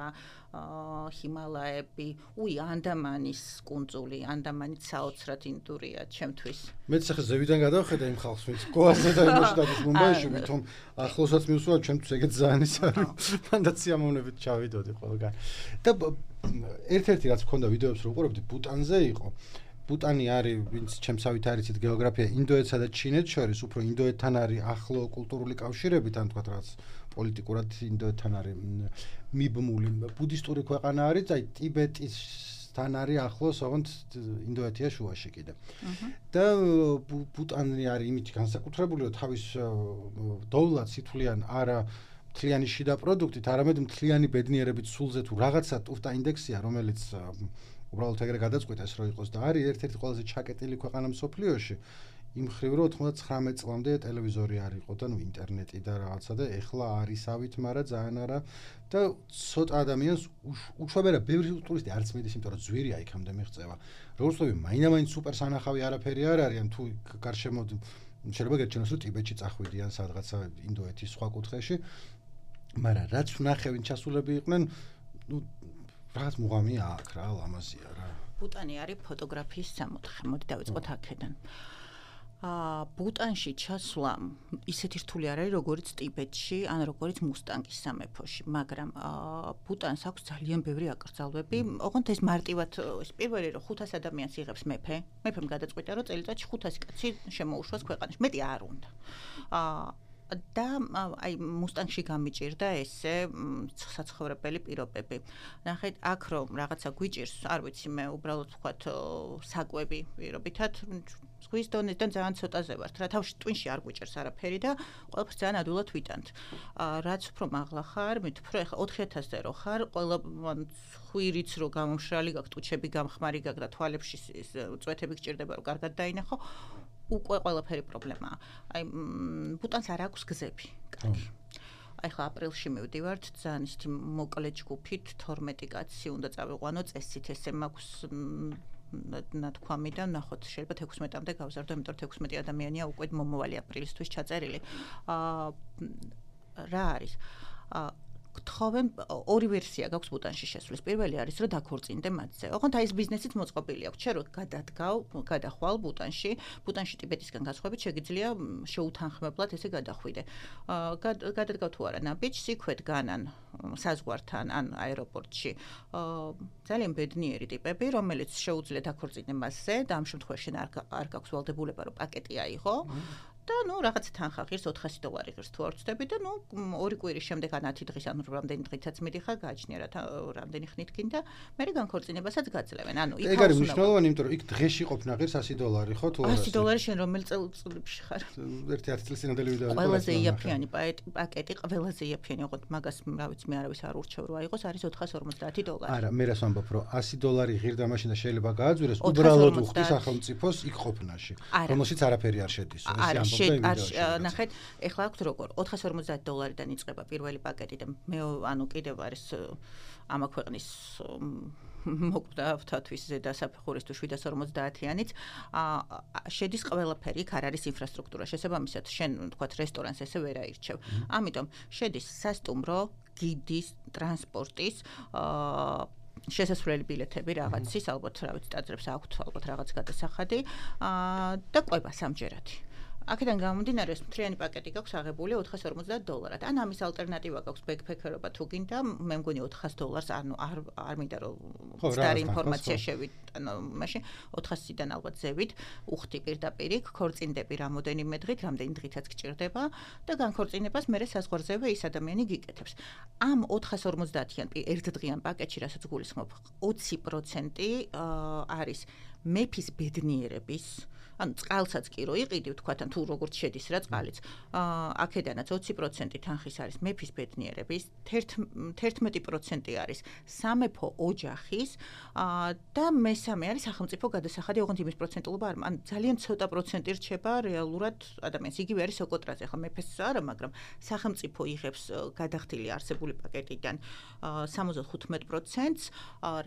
ჰიმალაები, უი ანდამანის კუნძული, ანდამანიც საოცრად ინდურია ჩემთვის. მეც ახლა ზევიდან გადავხედა იმ ხალხს, ვინც გოაზე და იმაში დადის მუმბაიში, თუმ ახლოსაც მივსვა, ჩემთვის ეგეც ძალიან ის არის. მანდაც სიამოვნებით ჩავიდოდი ყველგან. და ერთ-ერთი რაც მქონდა ვიდეოებს რო უყურებდი, ბუტანზე იყო. ბუტანი არის, ვინც ჩემსავით არიცით გეოგრაფია, ინდოეთსა და ჩინეთს შორის, უფრო ინდოეთთან არის ახლო კულტურული კავშირები, თან თქვა რაღაც პოლიტიკურად ინდოეთთან არის მიბმული. ბუდისტური ქვეყანა არის, აი ტიბეტისთან არის ახლოს, ოღონდ ინდოეთია შუაში კიდე. და ბუტანი არის იმით განსაკუთრებული, რომ თავის დოვლად სითვლიან არა მთლიანი შიდა პროდუქტით, არამედ მთლიანი ბედნიერებით სულზე თუ რაღაცა ტურტა ინდექსია, რომელიც უბრალოდ ეგრე გადაწყვეტა ეს რო იყოს და არის ერთ-ერთი ყველაზე ჩაკეტილი ქვეყანა მსოფლიოში. იმ მხრივ რომ თხმოცდათხმეტ წლამდე ტელევიზორი არ იყო და ნუ ინტერნეტი და რაღაცა და ეხლა არისავით, მაგრამ ძალიან არა და ცოტა ადამიანს უშვებერა ბევრი ტურისტი არც მიდის, იმიტომ რომ ძვირია იქამდე მიღწევა. როგორც ვთქვი, მაინდა-მაინც სუპერ სანახავი არაფერი არ არის, ან თუ გარშემო შეიძლება გერჩენოს რომ ტიბეტში წახვიდიან სადღაცა ინდოეთის სხვა კუთხეში, მაგრამ რაც ვნახე ვინ ჩასულები იყვნენ, ნუ რაღაც მუღამია აქ რა, ლამაზია რა. ბუტანი არის ფოტოგრაფიის სამოთხე. მოდი დავიწყოთ აქედან. აა ბუტანში ჩასვლა ისეთი რთული არ არის, როგორც ტიბეტში, ან როგორც მუსტანგის სამეფოში, მაგრამ აა ბუტანს აქვს ძალიან ბევრი აკრძალვები. ოღონდ ეს მარტივად ეს პირველი რომ ხუთას ადამიანს იღებს მეფე, მეფემ გადაწყვიტა რომ წელიწადში ხუთასი კაცი შემოუშვას ქვეყანაში. მეტი არ უნდა. აა და აი მუსტანგში გამიჭირდა ესე საცხოვრებელი პირობები. ნახეთ, აქ რომ რაღაცა გვიჭირს, არ ვიცი, მე უბრალოდ ვთქვათ საკვები პირობითად ზღვის დონიდან ძალიან ცოტაზე ვართ. რა თავში ტვინში არ გვიჭირს არაფერი და ყველაფერს ძალიან ადვილად ვიტანთ. რაც უფრო მაღლა ხარ, მით უფრო ეხლა ოთხი ათასზე რო ხარ, ყველა ხვირიც რო გამომშრალი გაქვს, ტუჩები გამხმარი გაქვს და თვალებში წვეთები გჭირდება რომ კარგად დაინახო. უკვე ყველაფერი პრობლემაა. აი ბუტანს არ აქვს გზები. კარგი. აი ხა აპრილში მივდივართ, ძალიან ისეთი მოკლე ჯგუფით, თორმეტი კაცი უნდა წავიყვანო წესით, ესე მაქვს ნათქვამი და ნახოთ, შეიძლება თექვსმეტამდე გავზარდო, იმიტომ რომ თექვსმეტი ადამიანია უკვე მომავალი აპრილისთვის ჩაწერილი. აა რა არის? აა გთხოვენ ორი ვერსია გაქვს ბუტანში შესვლის. პირველი არის რომ დაქორწინდე მათზე. ოღონდ აი ეს ბიზნესიც მოწყობილი აქვს. შენ რო გადადგავ, გადახვალ ბუტანში, ბუტანში ტიბეტისგან გასხვებით შეგიძლია შეუთანხმებლად ესე გადახვიდე. აა გადადგავ თუ არა ნაბიჯს, იქვე დგანან საზღვართან ან აეროპორტში. აა ძალიან ბედნიერი ტიპები, რომელიც შეუძლია დაქორწინდე მასზე და ამ შემთხვევაში შენ არ არ გაქვს ვალდებულება რომ პაკეტი აიღო. და ნუ რაღაც თანხა ღირს ოთხასი დოლარი ღირს თუ არ ვწდები და ნუ ორი კვირის შემდეგ ან ათი დღის ან რამდენი დღითაც მიდიხარ გააჩნია რა რამდენი ხნით გინდა მე განქორწინებასაც გაძლევენ ანუ იქ ეგ არის მნიშვნელოვანი იმიტომ რომ იქ დღეში ყოფნა ღირს ასი დოლარი ხო თუ ასი დოლარი შენ რომელ წელიწადში ხარ ერთი ათი წლის წინანდელი ვიდეო ყველაზე იაფიანი პაკეტი ყველაზე იაფიანი ოღონდ მაგას რა ვიცი მე არავის არ ურჩევ რა იყოს არის ოთხას ორმოცდაათი დოლარი არა მე რას ვამბობ რომ ასი დოლარი ღირდა მაშინ და შეიძლება გააძვიროს უბრალოდ უხდი სახელმწიფოს იქ ყოფნაში რომელშიც არაფერი არ შედის არა არ ნახეთ ეხლა აქვს როგორ ოთხას ორმოცდაათი დოლარიდან იწყება პირველი პაკეტი და მე ანუ კიდევ არის ამა ქვეყნის მოკვდავთათვის ზედა საფეხურის თუ შვიდას ორმოცდაათიანიც შედის ყველაფერი იქ არ არის ინფრასტრუქტურა შესაბამისად შენ თქვათ რესტორანს ესე ვერ აირჩევ ამიტომ შედის სასტუმრო გიდის ტრანსპორტის შესასვლელი ბილეთები რაღაცის ალბათ რა ვიცი ტაძრებს აქვთ ალბათ რაღაც გადასახადი და ყვება სამჯერადი აქედან გამომდინარე ეს მთლიანი პაკეტი გაქვს აღებული ოთხას ორმოცდაათი დოლარად. ან ამის ალტერნატივა გაქვს ბექფექერობა თუ გინდა, მე მგონი ოთხას დოლარს, ანუ არ არ მინდა რომ სტარი ინფორმაცია შევით, ანუ მაშინ ოთხასიდან ალბათ ზევით, უხდი პირდაპირ იქ, ქორწინდები რამოდენიმე დღით, რამდენი დღითაც გჭირდება და განქორწინებას მერე საზღვარზევე ის ადამიანი გიკეთებს. ამ ოთხას ორმოცდაათიან ერთდღიან პაკეტში, რასაც გულისხმობ, ოცი პროცენტი არის მეფის ბედნიერების ანუ წყალსაც კი რო იყიდი ვთქვათ ან თუ როგორც შედის რა წყალიც აქედანაც ოცი პროცენტი თანხის არის მეფის ბედნიერების თერთმეტი პროცენტი არის სამეფო ოჯახის და მესამე არის სახელმწიფო გადასახადი ოღონდ იმის პროცენტულობა არ ან ძალიან ცოტა პროცენტი რჩება რეალურად ადამიანს იგივე არის ოკოტრაზე ახლა მეფეს არა მაგრამ სახელმწიფო იღებს გადახდილი არსებული პაკეტიდან სამოცდახუთ პროცენტს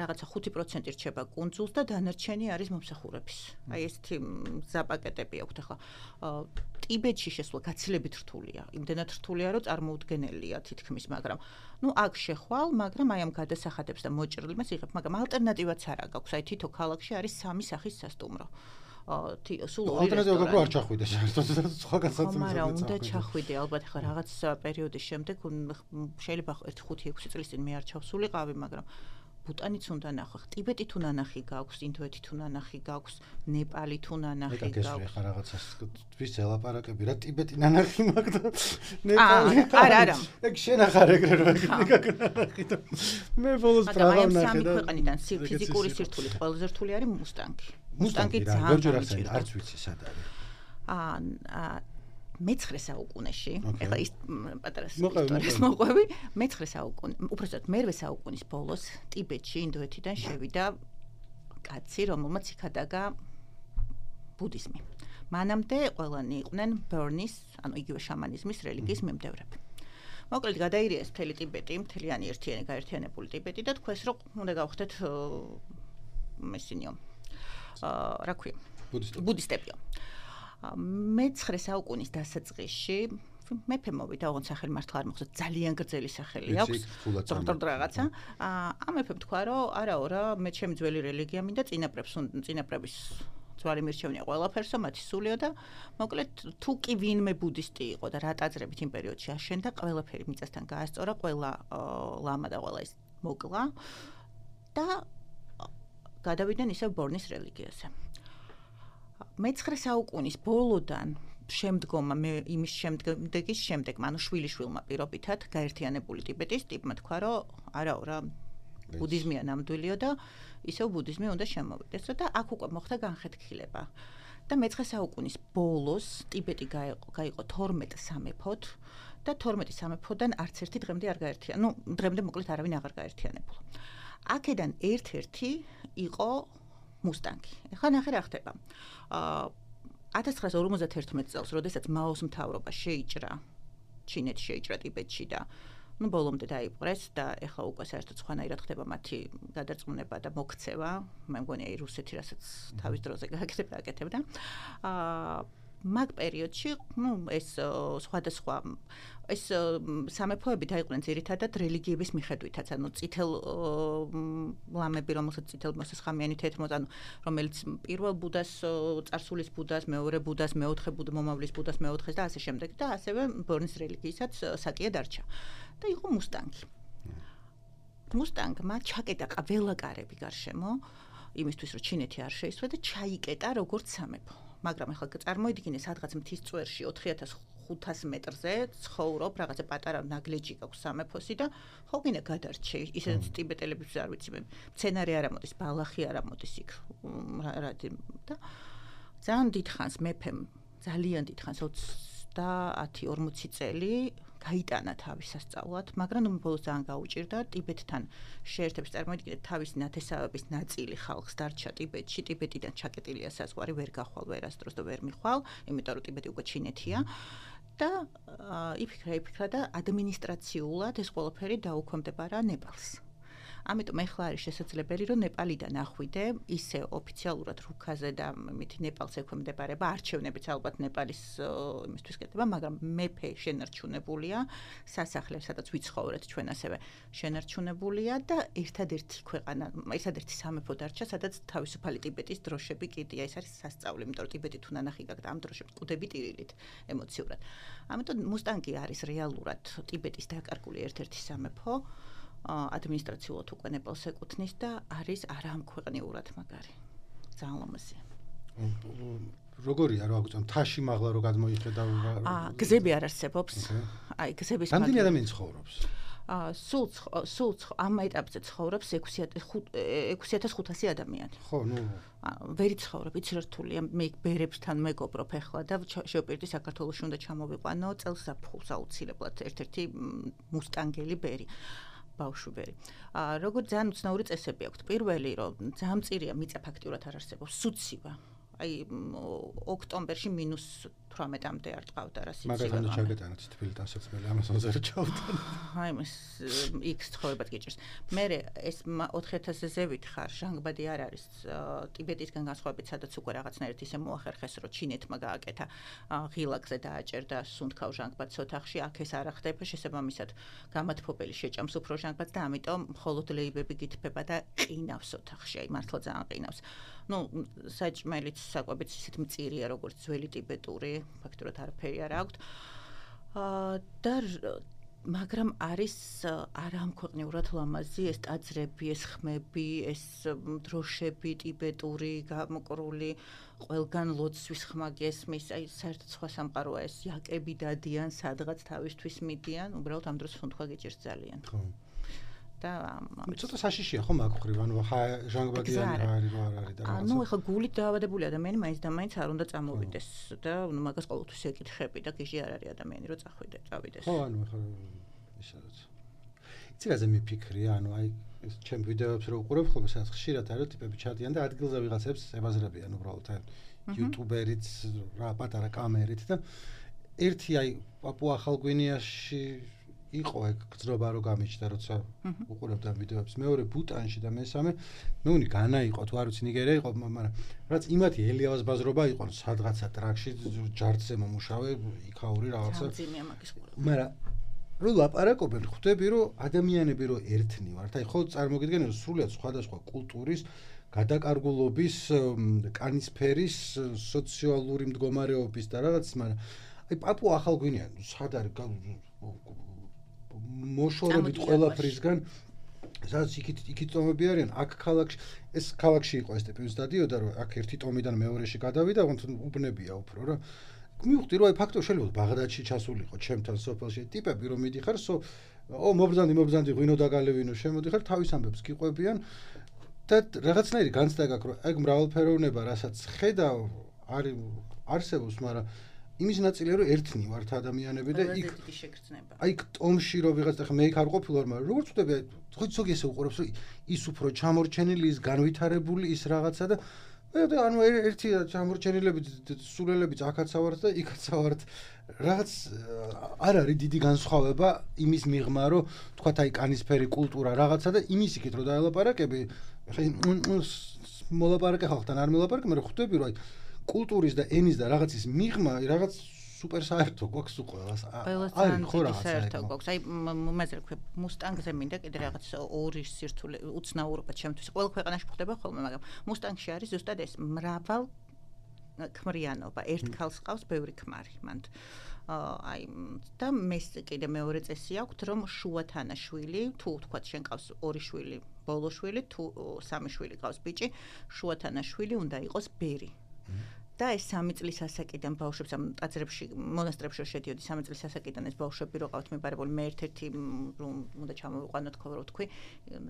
რაღაცა ხუთი პროცენტი რჩება კუნძულს და დანარჩენი არის მომსახურების აი ესეთი ზაპაკეტები აქვს ახლა ტიბეტში შესვლა გაცილებით რთულია იმდენად რთულია რომ წარმოუდგენელია თითქმის მაგრამ ну აქ შეხვალ მაგრამ აი ამ გადასახადებს და მოჭრილებას იღებ მაგრამ ალტერნატივაც არა გაქვს აი თითო ქალაქში არის სამი სახის სასტუმრო სულ ორი ალტერნატივა არ ჩახვიდე საერთოდ სხვა განსაცდელად მაგრამ უნდა ჩახვიდე ალბათ ახლა რაღაც პერიოდის შემდეგ შეიძლება ერთი ხუთი ექვსი წლის წინ მე არ ჩავსულიყავი მაგრამ ბუტანიც უნდა ნახო. ტიბეტი თუ ნანახი გაქვს, ინდოეთი თუ ნანახი გაქვს, ნეპალი თუ ნანახი გაქვს. ეგ ახლა რაღაცას თვის ელაპარაკები რა ტიბეტი ნანახი მაგ და ნეპალი. არა, არა. ეგ შენ ახარ ეგრე რო ნანახი და მე ბოლოს პრაღა ნახე და სამი ქვეყანიდან ფიზიკური სირთულით ყველაზე რთული არის მუსტანგი. მუსტანგი ძალიან არც ვიცი სად არის. აა მეცხრე საუკუნეში, ეხლა ის პატარა ისტორიას მოყვები, მეცხრე საუკუნე, უბრალოდ მერვე საუკუნის ბოლოს ტიბეტში, ინდოეთიდან შევიდა კაცი, რომელმაც იქადაგა ბუდიზმი. მანამდე ყველანი იყვნენ ბერნის, ანუ იგივე შამანიზმის რელიგიის მიმდევრები. მოკლედ გადაირიეს მთელი ტიბეტი, მთლიანი ერთიანი გაერთიანებული ტიბეტი და თქვეს, რომ უნდა გავხდეთ მესინიო. აა, რა ქვია? ბუდისტებიო. მეცხრე საუკუნის დასაწყისში მეფე მოვიდა, ოღონდ სახელი მართლა არ მოხდა, ძალიან გრძელი სახელი აქვს. ზოგადად რაღაცა. ამ მეფემ თქვა, რომ არაო რა, მე ჩემი ძველი რელიგია მინდა წინაპრებს, წინაპრების ძვალი მირჩევნია ყველაფერსო, მათი სულიო და მოკლედ თუ კი ვინმე ბუდისტი იყო და რა ტაძრებით იმ პერიოდში აშენდა, ყველაფერი მიწასთან გაასწორა, ყველა ლამა და ყველა ის მოკლა და გადავიდნენ ისევ ბორნის რელიგიაზე. მეცხრე საუკუნის ბოლოდან შემდგომა მე იმის შემდეგის შემდეგ, ანუ შვილიშვილმა პირობითად გაერთიანებული ტიბეტის ტიპმა თქვა, რომ არაო რა ბუდიზმია ნამდვილიო და ისევ ბუდიზმი უნდა შემოვიდეს და აქ უკვე მოხდა განხეთქილება. და მეცხრე საუკუნის ბოლოს ტიბეტი გაიყო თორმეტ სამეფოდ და თორმეტი სამეფოდან არც ერთი დღემდე არ გაერთიანა. ნუ დღემდე მოკლედ არავინ აღარ გაერთიანებულა. აქედან ერთ-ერთი იყო მუსტანგი. ეხლა ნახე რა ხდება. აა ათას ცხრაას ორმოცდაათი წელს, როდესაც მაოს მთავრობა შეიჭრა, ჩინეთში შეიჭრა ტიბეტში და ну ბოლომდე დაიპყრეს და ეხლა უკვე საერთოდ სხვანაირად ხდება მათი გადარწმუნება და მოქცევა. მე მგონი აი რუსეთი რასაც თავის დროზე გააკეთებდა, აკეთებდა. აა მაგ პერიოდში, ну ეს სხვადასხვა ეს სამეფოები დაიყვნენ ძირითადად რელიგიების მიხედვითაც, ანუ წითელ ლამები, რომელსაც წითელ მოსესხამიანი თეთრ ანუ რომელიც პირველ ბუდას, წარსულის ბუდას, მეორე ბუდას, მეოთხე ბუდა, მომავლის ბუდას, მეოთხეს და ასე შემდეგ და ასევე ბორნის რელიგიისაც საკია დარჩა. და იყო მუსტანგი. მუსტანგმა ჩაკეტა ყველა კარები გარშემო, იმისთვის რომ ჩინეთი არ შეისვა და ჩაიკეტა როგორც სამეფო. მაგრამ ახლა წარმოიდგინე სადღაც მთის წვერში ოთხი ათას ხუთას მეტრზე ცხოვრობ, რაღაცა პატარა ნაგლეჯი გაქვს სამეფოსი და ხო გინდა გადარჩე, ისედაც ტიბეტელებს არ ვიცი მე. მცენარე არ ამოდის, ბალახი არ ამოდის იქ. რა და ძალიან დიდხანს მეფემ, ძალიან დიდხანს ოცდაათი ორმოცი წელი გაიტანა თავის სასწაულად, მაგრამ ნუ ბოლოს ძალიან გაუჭირდა ტიბეტთან შეერთებს წარმოიდგინეთ თავისი ნათესავების ნაწილი ხალხს დარჩა ტიბეტში, ტიბეტიდან ჩაკეტილია საზღვარი, ვერ გახვალ ვერასდროს და ვერ მიხვალ, იმიტომ რომ ტიბეტი უკვე ჩინეთია. და იფიქრა, იფიქრა და ადმინისტრაციულად ეს ყველაფერი დაუქვემდებარა ნეპალს. ამიტომ ეხლა არის შესაძლებელი, რომ ნეპალიდან ახვიდე ისე ოფიციალურად რუქაზე და მით ნეპალს ექვემდებარება, არჩევნებიც ალბათ ნეპალის იმისთვის კეთდება, მაგრამ მეფე შენარჩუნებულია, სასახლე, სადაც ვიცხოვრეთ ჩვენ ასევე შენარჩუნებულია და ერთადერთი ქვეყანა, ერთადერთი სამეფო დარჩა, სადაც თავისუფალი ტიბეტის დროშები კიდია, ეს არის სასწაული, იმიტომ რომ ტიბეტი თუ ნანახი გაქვს ამ დროშებს ყუდები ტირილით ემოციურად. ამიტომ მუსტანგი არის რეალურად ტიბეტის დაკარგული ერთ-ერთი სამეფო. ადმინისტრაციულად უკვე ნეპალს ეკუთვნის და არის არამქვეყნიურად მაგარი. ძალიან ლამაზია. როგორია რა აგვიწევ მთაში მაღლა რო გადმოიხედა? აა გზები არ არსებობს. აი გზების რამდენი ადამიანი ცხოვრობს? აა სულ სულ ამ ეტაპზე ცხოვრობს ექვსი ათას ხუთასი ადამიანი. ხო, ნუ ვერი ცხოვრობ, იცი რა რთულია, მე ბერებთან მეგობრობ ახლა და შევპირდი საქართველოში უნდა ჩამოვიყვანო წელს ზაფხულს აუცილებლად ერთ-ერთი მუსტანგელი ბერი. ბავშვები. აა როგორც ძალიან უცნაური წესები აქვს. პირველი, რომ ძალიან მწირია მიწა ფაქტიურად არ არსებობს, სუცივა. აი ოქტომბერში მინუს თვრამეტამდე არ ტყავდა რა სიცივე. მაგალითად ჩაგეტანოთ თბილისთან საცმელი ამასონზე რა ჩავთან. აი ეს იქს ცხოვრებად გიჭირს. მე ეს ოთხი ათასზე ზევით ხარ, ჟანგბადი არ არის ტიბეტისგან განსხვავებით, სადაც უკვე რაღაცნაირად ისე მოახერხეს, რომ ჩინეთმა გააკეთა ღილაკზე დააჭერდა სუნთქავ ჟანგბადს ოთახში, აქ ეს არ ახდება, შესაბამისად გამათფობელი შეჭამს უფრო ჟანგბადს და ამიტომ მხოლოდ ლეიბები გითბება და ყინავს ოთახში, აი მართლა ძალიან ყინავს. ნუ საჭმელიც საკვებიც ისეთ მწირია როგორც ძველი ტიბეტური, ფაქტურად არაფერი არ აქვს. აა და მაგრამ არის არამქვეყნიურად ლამაზი ეს ტაძრები, ეს ხმები, ეს დროშები ტიბეტური გამოკრული, ყველგან ლოცვის ხმა გესმის, აი საერთოდ სხვა სამყაროა ეს, იაკები დადიან, სადღაც თავისთვის მიდიან, უბრალოდ ამ დროს სუნთქვა გიჭირს ძალიან. ხო. და ცოტა საშიშია ხო მაგ ხრივ, ანუ ჟანგბადიანი რა არის, რა არის და რაღაცა. ანუ ეხლა გულით დაავადებული ადამიანი მაინც და მაინც არ უნდა წამოვიდეს და ნუ მაგას ყოველთვის ეკითხები და გიჟი არ არის ადამიანი რომ წახვიდე, წავიდეს. ხო, ანუ ეხლა ისედაც. იცი რაზე მიფიქრია, ანუ აი ეს ჩემ ვიდეოებს რო უყურებ ხოლმე, სადაც ხშირად არის ტიპები ჩადიან და ადგილზე ვიღაცებს ებაზრებიან უბრალოდ აი იუტუბერიც, რა პატარა კამერით და ერთი აი პაპუა ახალგვინეაში იყო ეგ გზნობა რო გამიჩნდა როცა უყურებდა ვიდეოებს, მეორე ბუტანში და მესამე მე უნი განა იყო თუ არ ვიცი ნიგერია იყო, მაგრამ რაც იმათი ელიავას ბაზრობა იყო, სადღაცა ტრაქში ჯარდზე მომუშავე, იქაური რაღაცა. ძიმია მაგის ყურა. მაგრამ რო ლაპარაკობენ, ხვდები რომ ადამიანები რო ერთნი ვართ, აი ხო წარმოგიდგენთ რომ სრულიად სხვადასხვა კულტურის გადაკარგულობის, კანისფერის, სოციალური მდგომარეობის და რაღაც, მაგრამ აი პაპუა ახალგვინეა, სად არის მოშორებით ყველაფრისგან, სადაც იქით იქით ტომები არიან, აქ ქალაქში, ეს ქალაქში იყო ეს ტიპი დადიოდა, რომ აქ ერთი ტომიდან მეორეში გადავიდა, უბნებია უფრო რა. მივხვდი რომ აი ფაქტობრივად შეიძლება ბაღდადში ჩასულიყო ჩემთან სოფელში ტიპები რომ მიდიხარ, სო ო მობრძანდი, მობრძანდი, ღვინო დაგალევინო, შემოდიხარ, თავის ამბებს გიყვებიან და რაღაცნაირი განცდა გაქვს, რომ ეგ მრავალფეროვნება, რასაც ხედავ, არის არსებობს, მაგრამ იმის ნაწილია რომ ერთნი ვართ ადამიანები და იქ აი ტომში რომ ვიღაც ახლა მე იქ არ ყოფილვარ, მაგრამ როგორც ვთქვი, ხო ზოგი ესე უყურებს რომ ის უფრო ჩამორჩენილი, ის განვითარებული, ის რაღაცა და მე ანუ ერთი ჩამორჩენილები, სულელებიც აქაც ავართ და იქაც ავართ. რაღაც არ არის დიდი განსხვავება იმის მიღმა, რომ თქვათ აი კანისფერი კულტურა რაღაცა და იმის იქით რომ დაელაპარაკები, ხა მოლაპარაკე ხალხთან არ მოლაპარაკე, მაგრამ ხვდები რომ აი კულტურის და ენის და რაღაცის მიღმა რაღაც სუპერ საერთო გვაქვს უყველას. არის ხო რაღაცა საერთო გვაქვს. აი მეზრე ქვე მუსტანგზე მინდა კიდე რაღაც ორი სირთულე უცნაურობა ჩემთვის. ყოველ ქვეყანაში ხდება ხოლმე, მაგრამ მუსტანგში არის ზუსტად ეს მრავალ ქმრიანობა. ერთ ქალს ყავს ბევრი ქმარი მანდ. აი და მეს კიდე მეორე წესი აქვს, რომ შუათანაშვილი, თუ თქვათ შენ ყავს ორი შვილი, ბოლო შვილი, თუ სამი შვილი ყავს ბიჭი, შუათანაშვილი უნდა იყოს ბერი. და ეს სამი წლის ასაკიდან ბავშვებს ამ ტაძრებში, მონასტრებში შედიოდი სამი წლის ასაკიდან ეს ბავშვები რო ყავთ მიბარებული, მე ერთ-ერთი რომ უნდა ჩამოვიყვანოთ ხო რო თქვი,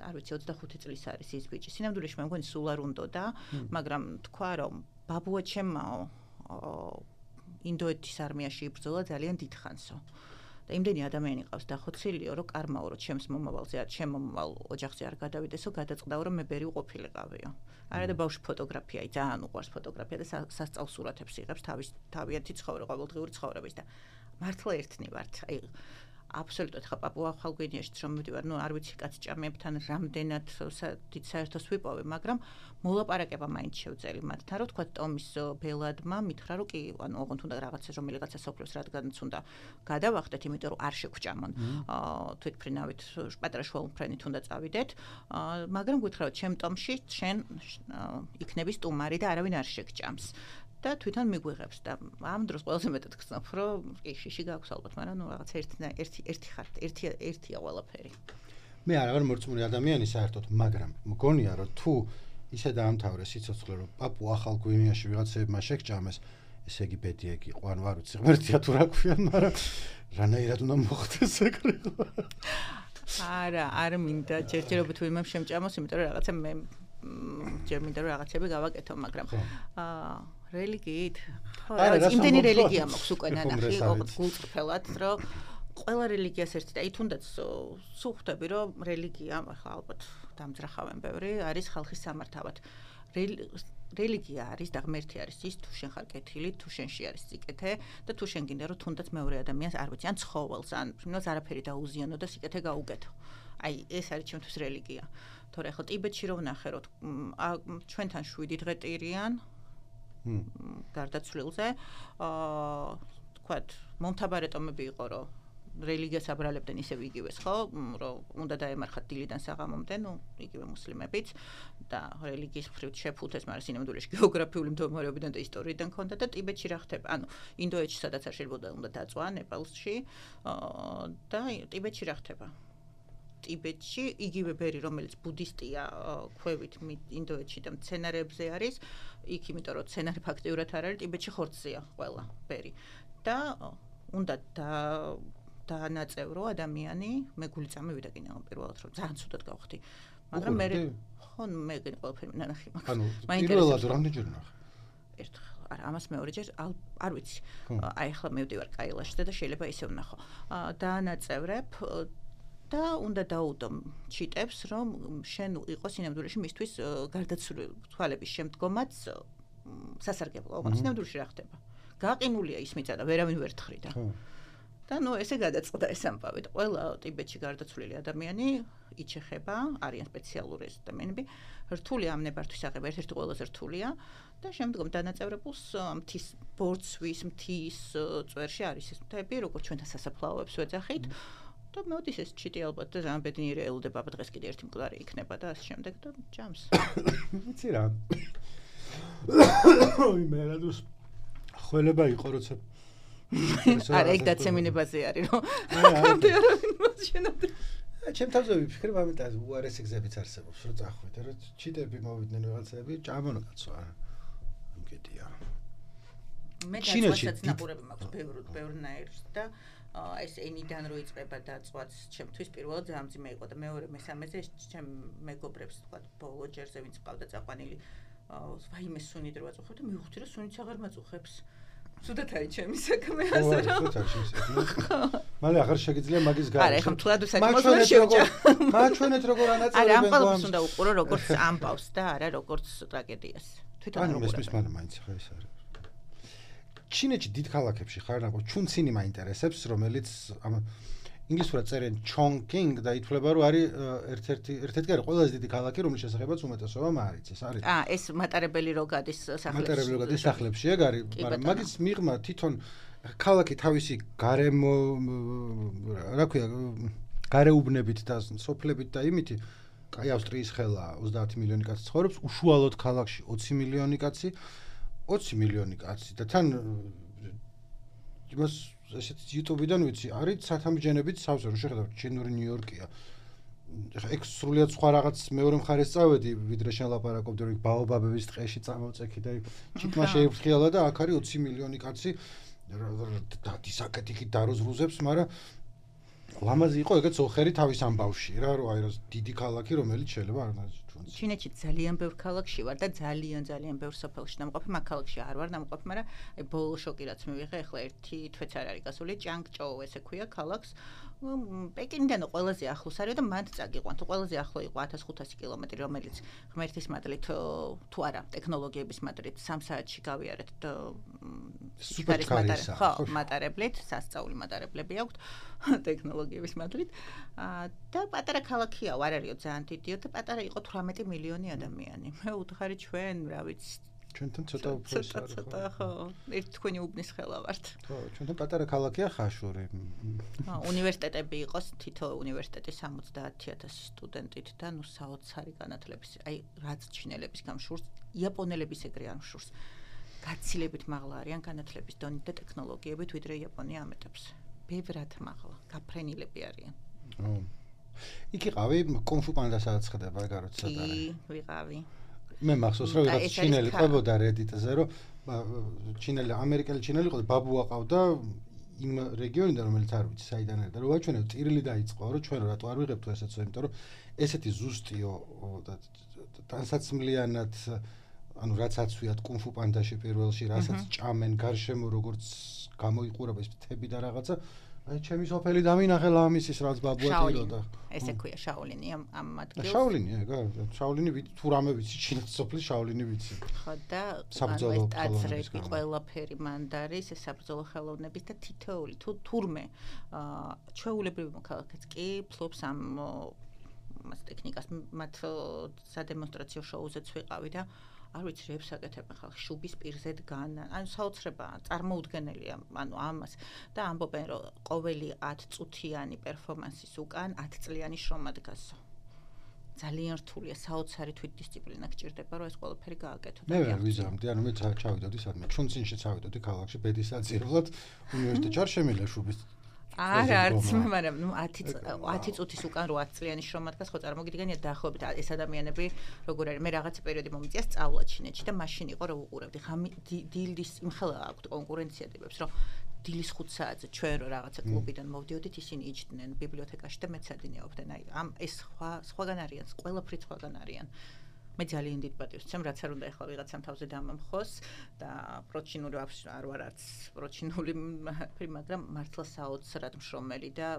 არ ვიცი ოცდახუთი წლის არის ის ბიჭი. სინამდვილეში მე მგონი სულ არ უნდოდა, მაგრამ თქვა რომ ბაბუა ჩემაო ინდოეთის არმიაში იბრძოლა ძალიან დიდხანსო. და იმდენი ადამიანი ყავს დახოცილიო, რომ კარმაო რომ ჩემს მომავალზე არ ჩემ მომავალ ოჯახზე არ გადავიდესო, გადაწყდაო რომ მე ბერი უყოფილიყავიო. არა და ბავშვი ფოტოგრაფიայի ძალიან უყვარს ფოტოგრაფია და სასწაულ სურათებს იღებს თავის თავიანთი ცხოვრება, ყოველდღიური ცხოვრების და მართლა ერთნი ვართ. აი აბსოლუტურად ხა პაპუა ახალგვინეაშიც რომ მივდივარ, ნუ არ ვიცი კაც ჭამებთან რამდენად დიდ საერთოს ვიპოვე, მაგრამ მოლაპარაკება მაინც შევძელი მათთან, რომ თქვა ტომის ბელადმა მითხრა, რომ კი, ანუ ოღონდ უნდა რაღაცა რომელიღაცა სოფლებს რადგანაც უნდა გადავახდეთ, იმიტომ რომ არ შეგვჭამონ. აა თვითფრინავით პატარა შუალმფრენით უნდა წავიდეთ, მაგრამ გითხრა, რომ ჩემ ტომში შენ იქნები სტუმარი და არავინ არ შეგჭამს. და თვითონ მიგვიღებს და ამ დროს ყველაზე მეტად გწნობ, რომ კი შიში გაქვს ალბათ, მაგრამ ნუ რაღაც ერთი ერთი ერთი ხარ, ერთი ერთია ყველაფერი. მე არ ვარ მორწმუნე ადამიანი საერთოდ, მაგრამ მგონია რომ თუ ისე დაამთავრე სიცოცხლე, რომ პაპუ ახალ გვინეაში ვიღაცებმა შეგჭამეს, ესე იგი ბედიეგ იყო, ან ვარ ვიცი, ღმერთია თუ რა ქვიან, მაგრამ რანაირად უნდა მოხდეს ეგრე. არა, არ მინდა ჯერჯერობით ვინმე შემჭამოს, იმიტომ რომ რაღაცა მე ჯერ მინდა რომ რაღაცები გავაკეთო, მაგრამ აა რელიგიით? ხო, იმდენი რელიგია მაქვს უკვე ნანახი, გულწრფელად, რომ ყველა რელიგიას ერთი და აი თუნდაც სულ ხვდები, რომ რელიგია, ახლა ალბათ დამძრახავენ ბევრი, არის ხალხის სამართავად. რელიგია არის და ღმერთი არის ის, თუ შენ ხარ კეთილი, თუ შენში არის სიკეთე და თუ შენ გინდა რომ თუნდაც მეორე ადამიანს არ ვიცი, ან ცხოველს, ან იმას არაფერი დაუზიანო და სიკეთე გაუგეთო. აი ეს არის ჩემთვის რელიგია. თორე ახლა ტიბეტში რო ვნახე, რომ ჩვენთან შვიდი დღე ტირიან გარდაცვლილზე, აა თქვათ, მომთაბარე ტომები იყო, რომ რელიგიას აბრალებდნენ ისევ იგივეს, ხო, რომ უნდა დაემარხათ დილიდან საღამომდე, ნუ იგივე მუსლიმებიც და რელიგიის მხრივ შეფუთეს, მაგრამ სინამდვილეში გეოგრაფიული მდგომარეობიდან და ისტორიიდან ქონდა და ტიბეტში რა ხდება? ანუ ინდოეთში სადაც არ შეიძლება უნდა დაწვა, ნეპალში და ტიბეტში რა ხდება? ტიბეტში იგივე ბერი, რომელიც ბუდისტია ქვევით ინდოეთში და მცენარეებზე არის, იქ იმიტომ რომ მცენარე ფაქტიურად არ არის, ტიბეტში ხორცზეა ყველა ბერი. და უნდა და დაანაწევრო ადამიანი, მე გული წამივიდა კიდე პირველად რომ ძალიან ცუდად გავხდი. მაგრამ მე ხო მე ყველაფერი ნანახი მაქვს. ანუ პირველად რამდენჯერ ნახე? ერთხელ, არა, ამას მეორეჯერ არ ვიცი. აი ახლა მივდივარ კაილაში და შეიძლება ისე ვნახო. დაანაწევრებ და უნდა დაუდო ჩიტებს, რომ შენ იყო სინამდვილეში მისთვის გარდაცვლილი თვალების შემდგომაც სასარგებლო, ოღონდ სინამდვილეში რა ხდება? გაყინულია ის მიწა და ვერავინ ვერ თხრიდა. და ნუ ესე გადაწყდა ეს ამბავი. ყველა ტიბეტში გარდაცვლილი ადამიანი იჩეხება, არიან სპეციალური ადამიანები, რთული ამ ნებართვის აღება, ერთ-ერთი ყველაზე რთულია და შემდგომ დანაწევრებულს მთის ბორცვის, მთის წვერში არის ეს მთები, როგორც ჩვენთან სასაფლაოებს ვეძახით. და მოდის ეს ჩიტი ალბათ და ძალიან ბედნიერი ელოდება, დღეს კიდე ერთი მკვდარი იქნება და ასე შემდეგ და ჯამს. ვიცი რა. ой, მე რადოს ხველება იყო, როცა არა, ეგ დაცემინებაზე არის, რომ აქამდე არავინ მოსჩენოდა. ჩემ თავზე ვიფიქრებ ამიტომ უარესი გზებიც არსებობს, რომ წახვიდე, რომ ჩიტები მოვიდნენ ვიღაცები, ჭამონო კაცო არა. ამგედია. მე დაწვასაც ნაპურები მაქვს ბევრ ბევრნაირს და ეს ენიდან რო იწყება დაწვაც ჩემთვის პირველად ძალიან მძიმე იყო და მეორე მესამეზე ეს ჩემ მეგობრებს თქვა ბოლო ჯერზე ვინც ყავდა წაყვანილი ვაიმე სუნით რო აწუხებ და მივხვდი რომ სუნიც აღარ მაწუხებს. ცუდად არის ჩემი საქმე ასე რომ. მალე აღარ შეგიძლია მაგის გარშემო. არა, ეხლა თულად საქმე შევჭა. მაჩვენეთ როგორ ანაწევრებენ. არა, ამ ყველაფერს უნდა უყურო როგორც ამბავს და არა როგორც ტრაგედიას. თვითონ არ უყურებ. ანუ მესმის მაგრამ მაინც ხა ეს არის. ჩინეთში დიდ ქალაქებში ხარ ნახო ჩუნცინი მაინტერესებს, რომელიც ამ ინგლისურად წერენ ჩონკინგ და ითვლება რომ არის ერთ-ერთი ერთ-ერთი არის ყველაზე დიდი ქალაქი, რომლის შესახებაც უმეტესობამ არ იცის, არის. აა, ეს მატარებელი რო გადის სახლებში. მატარებელი რო გადის სახლებში, ეგ არის, მაგრამ მაგის მიღმა თვითონ ქალაქი თავისი გარემო რა ქვია, გარეუბნებით და სოფლებით და იმითი, კაი ავსტრიის ხელა ოცდაათი მილიონი კაცი ცხოვრობს, უშუალოდ ქალაქში ოცი მილიონი კაცი. ოცი მილიონი კაცი და თან იმას ესეთ YouTube-დან ვიცი, არის სათამბჯენებით სავსე, რომ შეხედავთ ჩინური ნიუ-იორკია. ეგ სრულიად სხვა რაღაც მეორე მხარეს წავედი, ვიდრე შენ ლაპარაკობდი, რომ ბაობაბების ტყეში წამოვწექი და ჩიტმა შეიფრთხილა და აქ არის ოცი მილიონი კაცი და დისაკეთიქით დაროზრუზებს, მაგრამ ლამაზი იყო ეგეც ოხერი თავის ამბავში რა, რომ აი რა დიდი ქალაქი, რომელიც შეიძლება არ ნაჩვენს. ჩინეთში ძალიან ბევრ ქალაქში ვარ და ძალიან ძალიან ბევრ სოფელში დამყოფი, მაგ ქალაქში არ ვარ დამყოფი, მაგრამ აი ბოლო შოკი რაც მივიღე, ახლა ერთი თვეც არ არის გასული, ჭანგჭოუ ესე ქვია ქალაქს. პეკინიდან ყველაზე ახლოს არის და მანდ წაგიყვანთ. ყველაზე ახლო იყო ათას ხუთასი კილომეტრი, რომელიც ღმერთის მადლით თუ არა, ტექნოლოგიების მადლით სამ საათში გავიარეთ სიფარის მატარებლით, ხო, მატარებლით, სასწაული მატარებლები აქვთ ტექნოლოგიების მადლით. და პატარა ქალაქია, არ არისო ძალიან დიდიო და პატარა იყო თვრამეტი მილიონი ადამიანი. მე უთხარი ჩვენ, რა ვიცი, ჩვენთან ცოტა უფრო ის არის. ცოტა ხო, ერთ თქვენი უბნის ხელა ვართ. ხო, ჩვენთან პატარა ქალაქია ხაშური. ხო, უნივერსიტეტები იყოს, თითო უნივერსიტეტი სამოცდაათი ათასი სტუდენტით და ნუ საოცარი განათლების, აი რაც ჩინელების გამშურს, იაპონელების ეგრე არ მშურს. გაცილებით მაღლა არიან განათლების დონით და ტექნოლოგიებით, ვიდრე იაპონია ამეტებს. ბევრად მაღლა, გაფრენილები არიან. ო. იქ იყავი კონფუ პანდა სადაც ხდება, ეგ არ ვიცი სადა. კი, ვიყავი. მე მახსოვს რომ რაღაც ჩინელი ყვებოდა Reddit-ზე რომ ჩინელი ამერიკელი ჩინელი იყო და ბაბუა ყავდა იმ რეგიონიდან რომელიც არ ვიცი საიდან არის და რომ ვაჩვენებ ტირილი დაიწყო რომ ჩვენ რატო არ ვიღებთ ესეც იმიტომ რომ ესეთი ზუსტიო და ტანსაცმლიანად ანუ რაც აცვიათ კუნფუ პანდაში პირველში რასაც ჭამენ გარშემო როგორც გამოიყურება ეს თები და რაღაცა აი ჩემი სოფელი დამინახე ლამისის რაც ბაბუა ტიროდა ესე ქვია შაოლინი ამ ამ ადგილს შაოლინი ეგა შაოლინი თუ რამე ვიცი ჩინეთის სოფლის შაოლინი ვიცი ხო და საბრძოლო ტაძრები ყველაფერი მანდ არის ეს საბრძოლო ხელოვნების და თითოეული თუ თურმე ჩვეულებრივი მოქალაქეც კი ფლობს ამ მას ტექნიკას მათ სადემონსტრაციო შოუზეც ვიყავი და არ ვიცი რებს აკეთებენ ხალხი შუბის პირზე დგან ანუ საოცრებაა წარმოუდგენელია ანუ ამას და ამბობენ რომ ყოველი ათი წუთიანი პერფორმანსის უკან ათი წლიანი შრომა დგასო ძალიან რთულია საოცარი თვითდისციპლინა გჭირდება რომ ეს ყველაფერი გააკეთო მე ვერ ვიზამდი ანუ მე ჩავიდოდი სადმე ჩუნცინში ჩავიდოდი ქალაქში ბედის საძირებლად უნივერსიტეტში არ შემიძლია შუბის არა არც მაგრამ ნუ ათი წუთის უკან რვა წლიანი შრომა დგას ხო წარმოგიდგენიათ დაახლოებით ეს ადამიანები როგორ არის მე რაღაცა პერიოდი მომიწია სწავლა ჩინეთში და მაშინ იყო რომ უყურებდი ხა დილის იმხელა აქვთ კონკურენცია ტიპებს რომ დილის ხუთ საათზე ჩვენ რო რაღაცა კლუბიდან მოვდიოდით ისინი იჯდნენ ბიბლიოთეკაში და მეცადინეობდნენ აი ამ ეს სხვა სხვაგან არიან ყველაფრით სხვაგან არიან მე ძალიან დიდ პატივს ვცემ რაც არ უნდა ეხლა ვიღაცამ თავზე დამამხოს და პროჩინული არ ვარ არც პროჩინული მაგრამ მართლა საოცრად მშრომელი და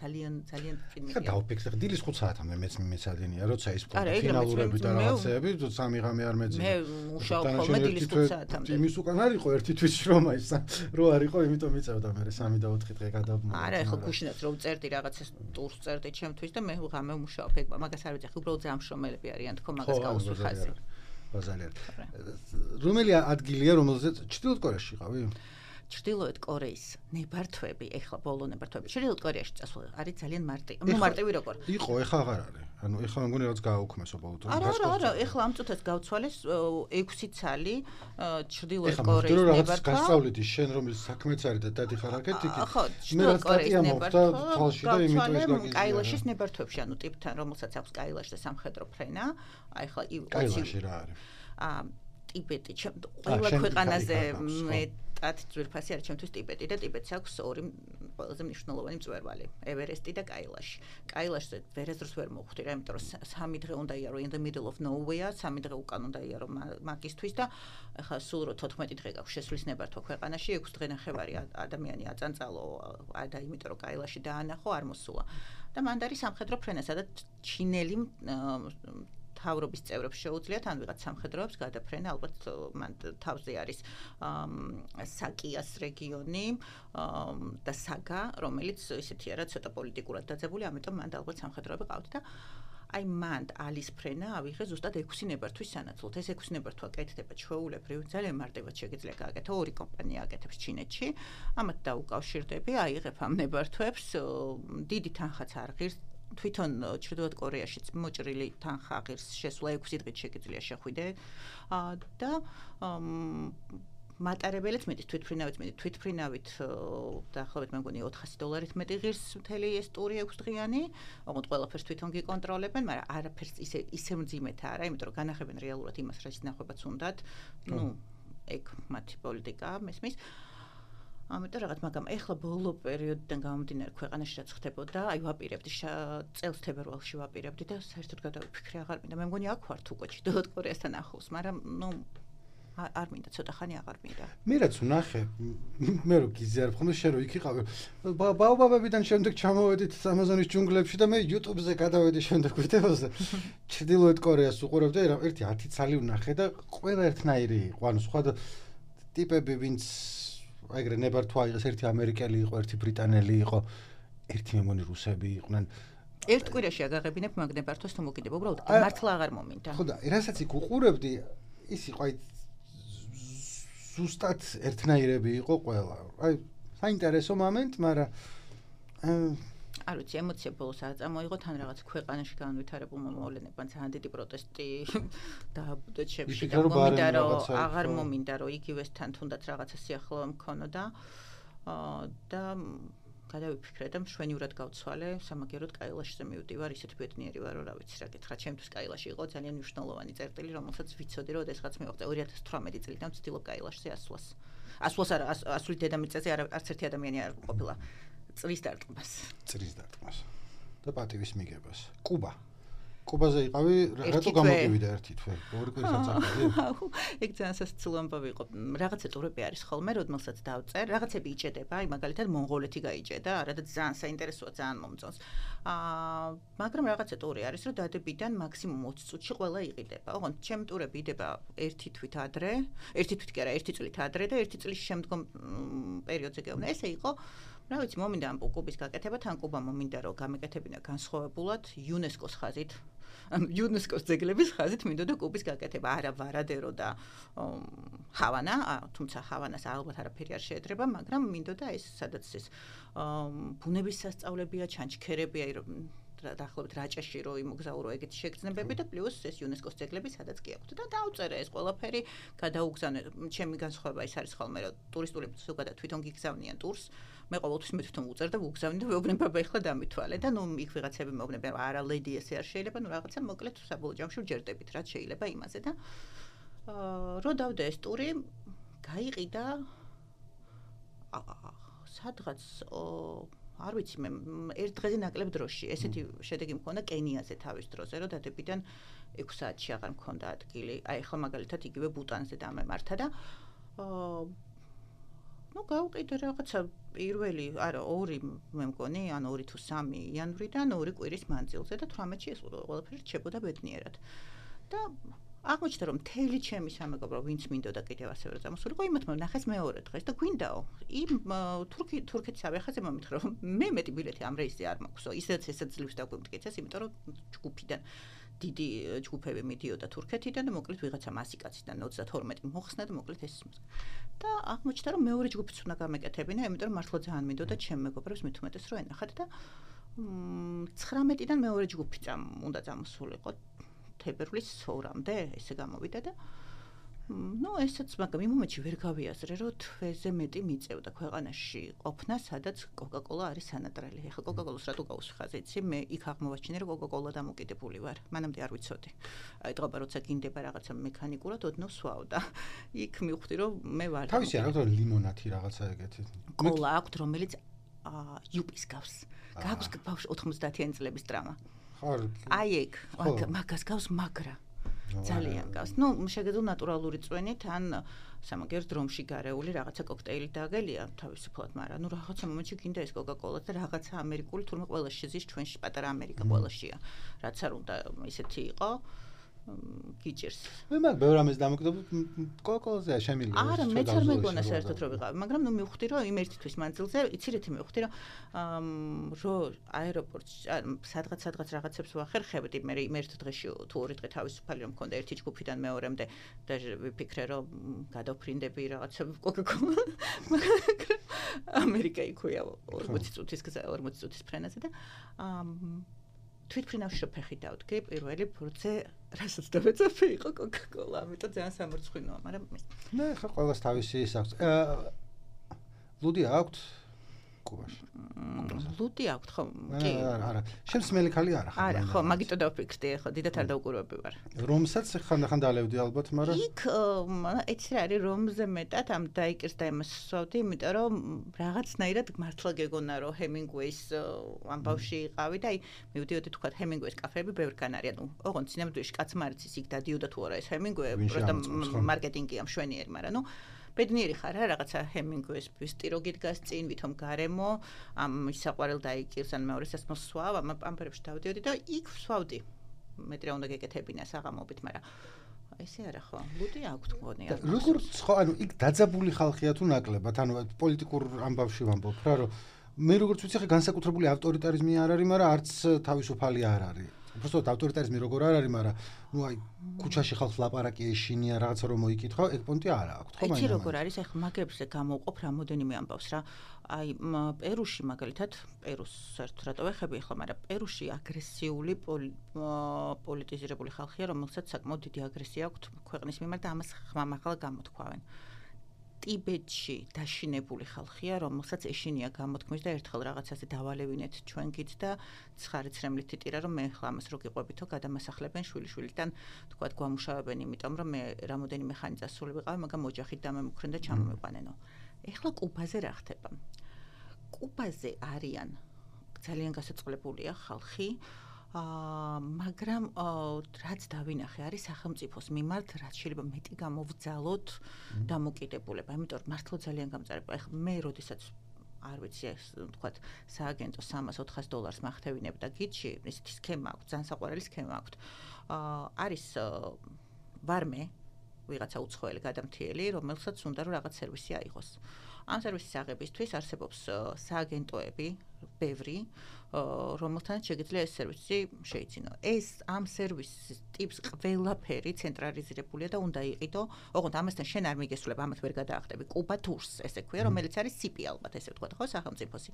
ძალიან ძალიან წინია ხა დავფიქრე დილის ხუთ საათამდე მეც მეცადინია როცა ის ფინალურები და რაღაცეები სამი ღამე არ მეძინა მე მუშაობ ხოლმე დილის ხუთ საათამდე იმის უკან არ იყო ერთი თვის შრომა ის რო არ იყო იმიტომ მიწევდა მე სამი და ოთხი დღე გადავმო არა ეხლა გუშინაც რომ წერდი რაღაცას ტურს წერდი ჩემთვის და მე ღამე მუშაობ ეგ მაგას არ ვიცი ხა უბრალოდ ძალიან მშრომელები არიან თქო მაგას გაუსვი ხაზი. ბაზალერ. რომელი ადგილია რომელზეც ჩრდილოეთ კორეაში იყავი? ჩრდილოეთ კორეის ნებართვები, ეხლა ბოლო ნებართვები. ჩრდილოეთ კორეაში წასვლა არის ძალიან მარტივი. ნუ მარტივი როგორ? იყო, ეხლა აღარ არის. ანუ ეხლა მგონი რაღაც გააუქმესო ბოლო დროს. არა, არა, არა, ეხლა ამ წუთას გავცვალეს ექვსი ცალი ჩრდილოეთ კორეის ნებართვა. ეხლა რაღაც გასწავლეთი შენ რომელიც საქმეც არის და დადიხარ აქეთ იქ. ხო, ჩრდილოეთ კორეის ნებართვა თვალში და იმიტომ ის გაგიზია. კაილაშის ნებართვებში, ანუ ტიპთან რომელსაც აქვს კაილაში და სამხედრო ფრენა, აი ახლა კაილაში რა არის? აა ტიბეტი, ყველა ქვეყანაზე მეტად ძვირფასი არის ჩემთვის ტიბეტი და ტიბეტს აქვს ორი ყველაზე მნიშვნელოვანი მწვერვალი, ევერესტი და კაილაში. კაილაშზე ვერასდროს ვერ მოვხვდი რა, იმიტომ რომ სამი დღე უნდა იარო in the middle of nowhere, სამი დღე უკან უნდა იარო მაგისთვის და ახლა სულ რო თოთხმეტი დღე გაქვს შესვლის ნებართვა ქვეყანაში, ექვსი დღე ნახევარი ადამიანი აწანწალო და იმიტომ რომ კაილაში დაანახო არ მოსულა. და მანდ არის სამხედრო ფრენა, სადაც ჩინელი თავრობის წევრებს შეუძლიათ ან ვიღაც სამხედროებს გადაფრენა ალბათ მან თავზე არის საკიას რეგიონი და საგა რომელიც ისეთი არა ცოტა პოლიტიკურად დაძაბული ამიტომ მან ალბათ სამხედროები ყავთ და აი მან ალის ფრენა ავიღე ზუსტად ექვსი ნებართვის სანაცვლოდ ეს ექვსი ნებართვა კეთდება ჩვეულებრივ ძალიან მარტივად შეგიძლია გააკეთო ორი კომპანია აკეთებს ჩინეთში ამათ დაუკავშირდები აიღებ ამ ნებართვებს დიდი თანხაც არ ღირს თვითონ ჩრდილოეთ კორეაშიც მოჭრილი თანხა ღირს შესვლა ექვსი დღით შეგიძლია შეხვიდე და მატარებელიც მეტი თვითფრინავით მეტი თვითფრინავით დაახლოებით მე მგონი ოთხასი დოლარით მეტი ღირს მთელი ეს ტური ექვს დღიანი, ოღონდ ყველაფერს თვითონ გიკონტროლებენ, მაგრამ არაფერს ისე ისე მძიმედ არა, იმიტომ რომ განახებენ რეალურად იმას, რაც ნახვებაც უნდათ. ნუ ეგ მათი პოლიტიკაა, მესმის. ამიტომ რაღაც მაგრამ ეხლა ბოლო პერიოდიდან გამომდინარე ქვეყანაში რაც ხდებოდა, აი ვაპირებდი წელს თებერვალში ვაპირებდი და საერთოდ გადავიფიქრე აღარ მინდა. მე მგონი აქ ვარ თუ კოჩი დოდოთ კორეასთან ახლოს, მაგრამ ნუ არ მინდა ცოტა ხანი აღარ მინდა. მე რაც ვნახე, მე რო გიზიარებ ხოლმე შენ რო იქ იყავი, ბაობაბებიდან შემდეგ ჩამოვედით ამაზონის ჯუნგლებში და მე YouTube-ზე გადავედი შემდეგ ვიდეოზე. ჩრდილოეთ კორეას უყურებდი, ერთი ათი ცალი ვნახე და ყველა ერთნაირი იყო, ანუ სხვა ტიპები ვინც ეგრე ნებართვა იღეს, ერთი ამერიკელი იყო, ერთი ბრიტანელი იყო, ერთი მე მგონი რუსები იყვნენ. ერთ კვირაში აგაღებინებ მაგნებართვას თუ მოკიდება, უბრალოდ მართლა აღარ მომინდა. ხო და რასაც იქ უყურებდი, ის იყო აი ზუსტად ერთნაირები იყო ყველა. აი საინტერესო მომენტ, მაგრამ არ ვიცი, ემოცია ბოლოს არ წამოიღო, თან რაღაც ქვეყანაში განვითარებულმა მოვლენებმა ძალიან დიდი პროტესტი დააბუდა ჩემში და მომინდა რომ აღარ მომინდა რომ იგივესთან თუნდაც რაღაცა სიახლოვე მქონოდა და გადავიფიქრე და მშვენივრად გავცვალე, სამაგეროდ კაილაშზე მივდივარ, ისეთ ბედნიერი ვარ, რომ რა ვიცი, რა გითხრა, ჩემთვის კაილაში იყო ძალიან მნიშვნელოვანი წერტილი, რომელსაც ვიცოდი, რომ ოდესღაც მივაღწევ ორი ათას თვრამეტი წლიდან ვცდილობ კაილაშზე ასვლას. ასვლას არა, ასვლით დედამიწაზე არც ერთი ადამიანი არ ყოფილა. წრის დარტყმას. წრის დარტყმას. და პატივის მიგებას. კუბა. კუბაზე იყავი, რატო გამოგივიდა ერთი თვე? ორი კვირის აწახები? ეგ ძალიან სასაცილო ამბავი იყო. რაღაცა ტურები არის ხოლმე, როდესაც დავწერ, რაღაცები იჭედება, აი მაგალითად მონღოლეთი გაიჭედა, არა და ძალიან საინტერესოა, ძალიან მომწონს. აა, მაგრამ რაღაცა ტური არის, რომ დადებიდან მაქსიმუმ ოცი წუთში ყველა იყიდება. ოღონდ ჩემი ტურები იდება ერთი თვით ადრე, ერთი თვით კი არა, ერთი წლით ადრე და ერთი წლის შემდგომ პერიოდზე გეუბნა. ესე იყო რა ვიცი, მომინდა ამ კუბის გაკეთება, თან კუბა მომინდა რომ გამეკეთებინა განსხვავებულად იუნესკოს ხაზით. იუნესკოს ძეგლების ხაზით მინდოდა კუბის გაკეთება, არა ვარადერო და ჰავანა, თუმცა ჰავანას ალბათ არაფერი არ შეედრება, მაგრამ მინდოდა ეს სადაც ეს ბუნების სასწავლებია, ჩანჩქერებია, დაახლოებით რაჭაში რო იმოგზაურო ეგეთი შეგრძნებები და პლუს ეს იუნესკოს ძეგლები სადაც კი აქვთ და დაუწერე ეს ყველაფერი, გადაუგზავნე. ჩემი განსხვავება ის არის ხოლმე, რომ ტურისტული ზოგადად თვითონ გიგზავნიან ტურს. მე ყოველთვის მე თვითონ უწერ და ვუგზავნი და ვეუბნები აბა ეხლა დამითვალე და ნუ იქ ვიღაცები მეუბნებიან არა ლედი ესე არ შეიძლება, ნუ რაღაცა მოკლედ საბოლოო ჯამში ვჯერდებით რაც შეიძლება იმაზე და აა რო დავდე ეს ტური გაიყიდა სადღაც არ ვიცი მე ერთ დღეზე ნაკლებ დროში ესეთი შედეგი მქონდა კენიაზე თავის დროზე რომ დადებიდან ექვს საათში აღარ მქონდა ადგილი აი ახლა მაგალითად იგივე ბუტანზე დამემართა და აა ну გავყიდე რაღაცა პირველი არა ორი მე მგონი ან ორი თუ სამი იანვრიდან ორი კვირის მანძილზე და თვრამეტში ეს ყველაფერი რჩებოდა ბედნიერად და აღმოჩნდა რომ მთელი ჩემი სამეგობრო ვინც მინდოდა კიდევ ასევე რომ წამოსულიყო იმათმა ნახეს მეორე დღეს და გვინდაო იმ თურქი თურქეთის ავიახაზე მომითხრა რომ მე მეტი ბილეთი ამ რეისზე არ მაქვსო ისედაც ესაც ძლივს დაგვიმტკიცეს იმიტომ რომ ჯგუფიდან დიდი ჯგუფები მიდიოდა თურქეთიდან და მოკლედ ვიღაცა მასიკაციდან ოცდათორმეტი მოხსნა და მოკლედ ეს და აღმოჩნდა რომ მეორე ჯგუფიც უნდა გამეკეთებინა იმიტომ რომ მართლა ძალიან მინდოდა ჩემ მეგობრებს მით უმეტეს რომ ენახათ და ცხრამეტიდან მეორე ჯგუფი წამ უნდა წამოსულიყო თებერვლის ორამდე ესე გამოვიდა და ну ესეც მაგრამ იმ მომენტში ვერ გავიაზრე რომ თვეზე მეტი მიწევდა ქვეყანაში ყოფნა სადაც კოკა-კოლა არის სანატრალი ეხლა კოკა-კოლას რატო გავუსხაზე იცი მე იქ აღმოვაჩინე რომ კოკა-კოლა დამოკიდებული ვარ მანამდე არ ვიცოდი აი დღობა როცა გინდება რაღაცა მექანიკურად ოდნავ სვავ და იქ მივხვდი რომ მე ვარ თავისი არ აქვს ლიმონათი რაღაცა ეგეთი კოლა აქვს რომელიც იუპის გავს გაქვს ბავშვ ოთხმოცდაათიანი წლების ტრამა ხარ აი ეგ მაგას გავს მაგრა ძალიან გავს. ნუ შეგეძლო ნატურალური წვენით ან სამაგერ დრომში გარეული რაღაცა კოქტეილი დაგელია თავისუფლად, მაგრამ ნუ რაღაცა მომენტში გინდა ეს კოკა-კოლა და რაღაცა ამერიკული თურმე ყველაში ზის ჩვენში პატარა ამერიკა ყველაშია. რაც არ უნდა ისეთი იყო. გიჭირს. მე მაგ ბევრ ამას დამოკიდებული კოკა-კოლაზე შემიძლია. არა, მეც არ მეგონა საერთოდ რომ ვიყავ, მაგრამ ნუ მივხვდი რომ იმ ერთი თვის მანძილზე, იცირეთი მივხვდი რომ რო აეროპორტში სადღაც სადღაც რაღაცებს ვახერხებდი, მე იმ ერთ დღეში თუ ორი დღე თავისუფალი რომ მქონდა ერთი ჯგუფიდან მეორემდე და ვიფიქრე რომ გადავფრინდები რაღაცა კოკა-კოლა. ამერიკა იქვია ორმოცი წუთის გზა, ორმოცი წუთის ფრენაზე და თვითფრინავში რო ფეხი დავდგე, პირველი ფურცე რასაც დავეწაფე იყო კოკა-კოლა, ამიტომ ძალიან სამორცხვინოა, მაგრამ ნე, ხა ყველას თავისი ის აქვს. ლუდი აქვთ კუბაში? ლუდი აქვთ, ხო? კი. არა, არა. შენს მელი ხალი არა ხარ? არა, ხო, მაგიტო დავფიქრდი, ხო, დიდად არ დაუყურებები ვარ. რომსაც ხანდახან დალევდი ალბათ, მაგრამ იქ ეცი რა არის, რომზე მეტად ამ დაიკერს და იმას ვსვავდი, იმიტომ რომ რაღაცნაირად მართლა გეგონა რომ ჰემინგუეის ამბავში იყავი და აი მივდიოდი თქვა ჰემინგუეის კაფეები ბევრგან არის, ანუ ოღონდ სინამდვილეში კაცმა არ იცის იქ დადიოდა თუ არა ეს ჰემინგუე, პროტა მარკეტინგია მშვენიერი, მაგრამ ნუ ბედნიერი ხარ რა რაღაცა ჰემინგუეს ბიუსტი რო გიდგას წინ ვითომ გარემო ამ ისაყვარელ დაიკირს ან მეორე სასმელს სვავ ამ ამბერებში დავდიოდი და იქ ვსვავდი მეტრი უნდა გეკეთებინა საღამობით მაგრამ ესე არა ხო ლუდი აქვს მგონი როგორ ხო ანუ იქ დაძაბული ხალხია თუ ნაკლებად ანუ პოლიტიკურ ამბავში ვამბობ რა რომ მე როგორც ვიცი ხე განსაკუთრებული ავტორიტარიზმი არ არის მაგრამ არც თავისუფალი არ არის просто ავტორიტარიზმი როგორ არ არის მაგრამ ну აი ქუჩაში ხალხს ლაპარაკი ეშინია რაღაცა რომ მოიკითხო ეგ პონტი არა აქვს ხო მაინც იცი როგორ არის ახლა მაგებზე გამოვყოფ რამოდენიმე ამბავს რა აი პერუში მაგალითად პერუს საერთოდ რატო ვეხები ახლა მაგრამ პერუში აგრესიული პოლიტიზირებული ხალხია რომელსაც საკმაოდ დიდი აგრესია აქვს ქვეყნის მიმართ და ამას ხმამაღლა გამოთქვავენ ტიბეტში დაშინებული ხალხია, რომელსაც ეშინია გამოთქმის და ერთხელ რაღაცაზე დავალევინეთ ჩვენგით და ცხარიცრემლით იტირა, რომ მე ახლა ამას რო გიყვებითო, გადამასახლებენ შვილიშვილიდან, თქვათ, გვამუშავებენ, იმიტომ რომ მე რამოდენიმე ხანი წასული ვიყავი, მაგრამ ოჯახით დამემუქრენ და ჩამომიყვანენო. ეხლა კუბაზე რა ხდება? კუბაზე არიან ძალიან გასაწყლებულია ხალხი აა მაგრამ რაც დავინახე არის სახელმწიფოს მიმართ რაც შეიძლება მეტი გამოვძალოთ დამოკიდებულება იმიტომ რომ მართლა ძალიან გამწარება ეხლა მე როდესაც არ ვიცი ეს თქვათ სააგენტო სამას ოთხას დოლარს მახთევინებ და გიჩი ესეთი სქემა აქვს ძალიან საყვარელი სქემა აქვს აა არის ვარმე ვიღაცა უცხოელი გადამთიელი რომელსაც უნდა რომ რაღაც სერვისი აიღოს ამ სერვისის აღებისთვის არსებობს სააგენტოები ბევრი რომელთანაც შეგიძლია ეს სერვისი შეიცინო. ეს ამ სერვისის ტიპს ყველაფერი ცენტრალიზირებულია და უნდა იყიდო. ოღონდ ამასთან შენ არ მიგესულებ, ამათ ვერ გადაახტები. კუბა ტურს ესე ქვია, რომელიც არის სიპი ალბათ, ესე ვთქვათ, ხო, სახელმწიფოსი.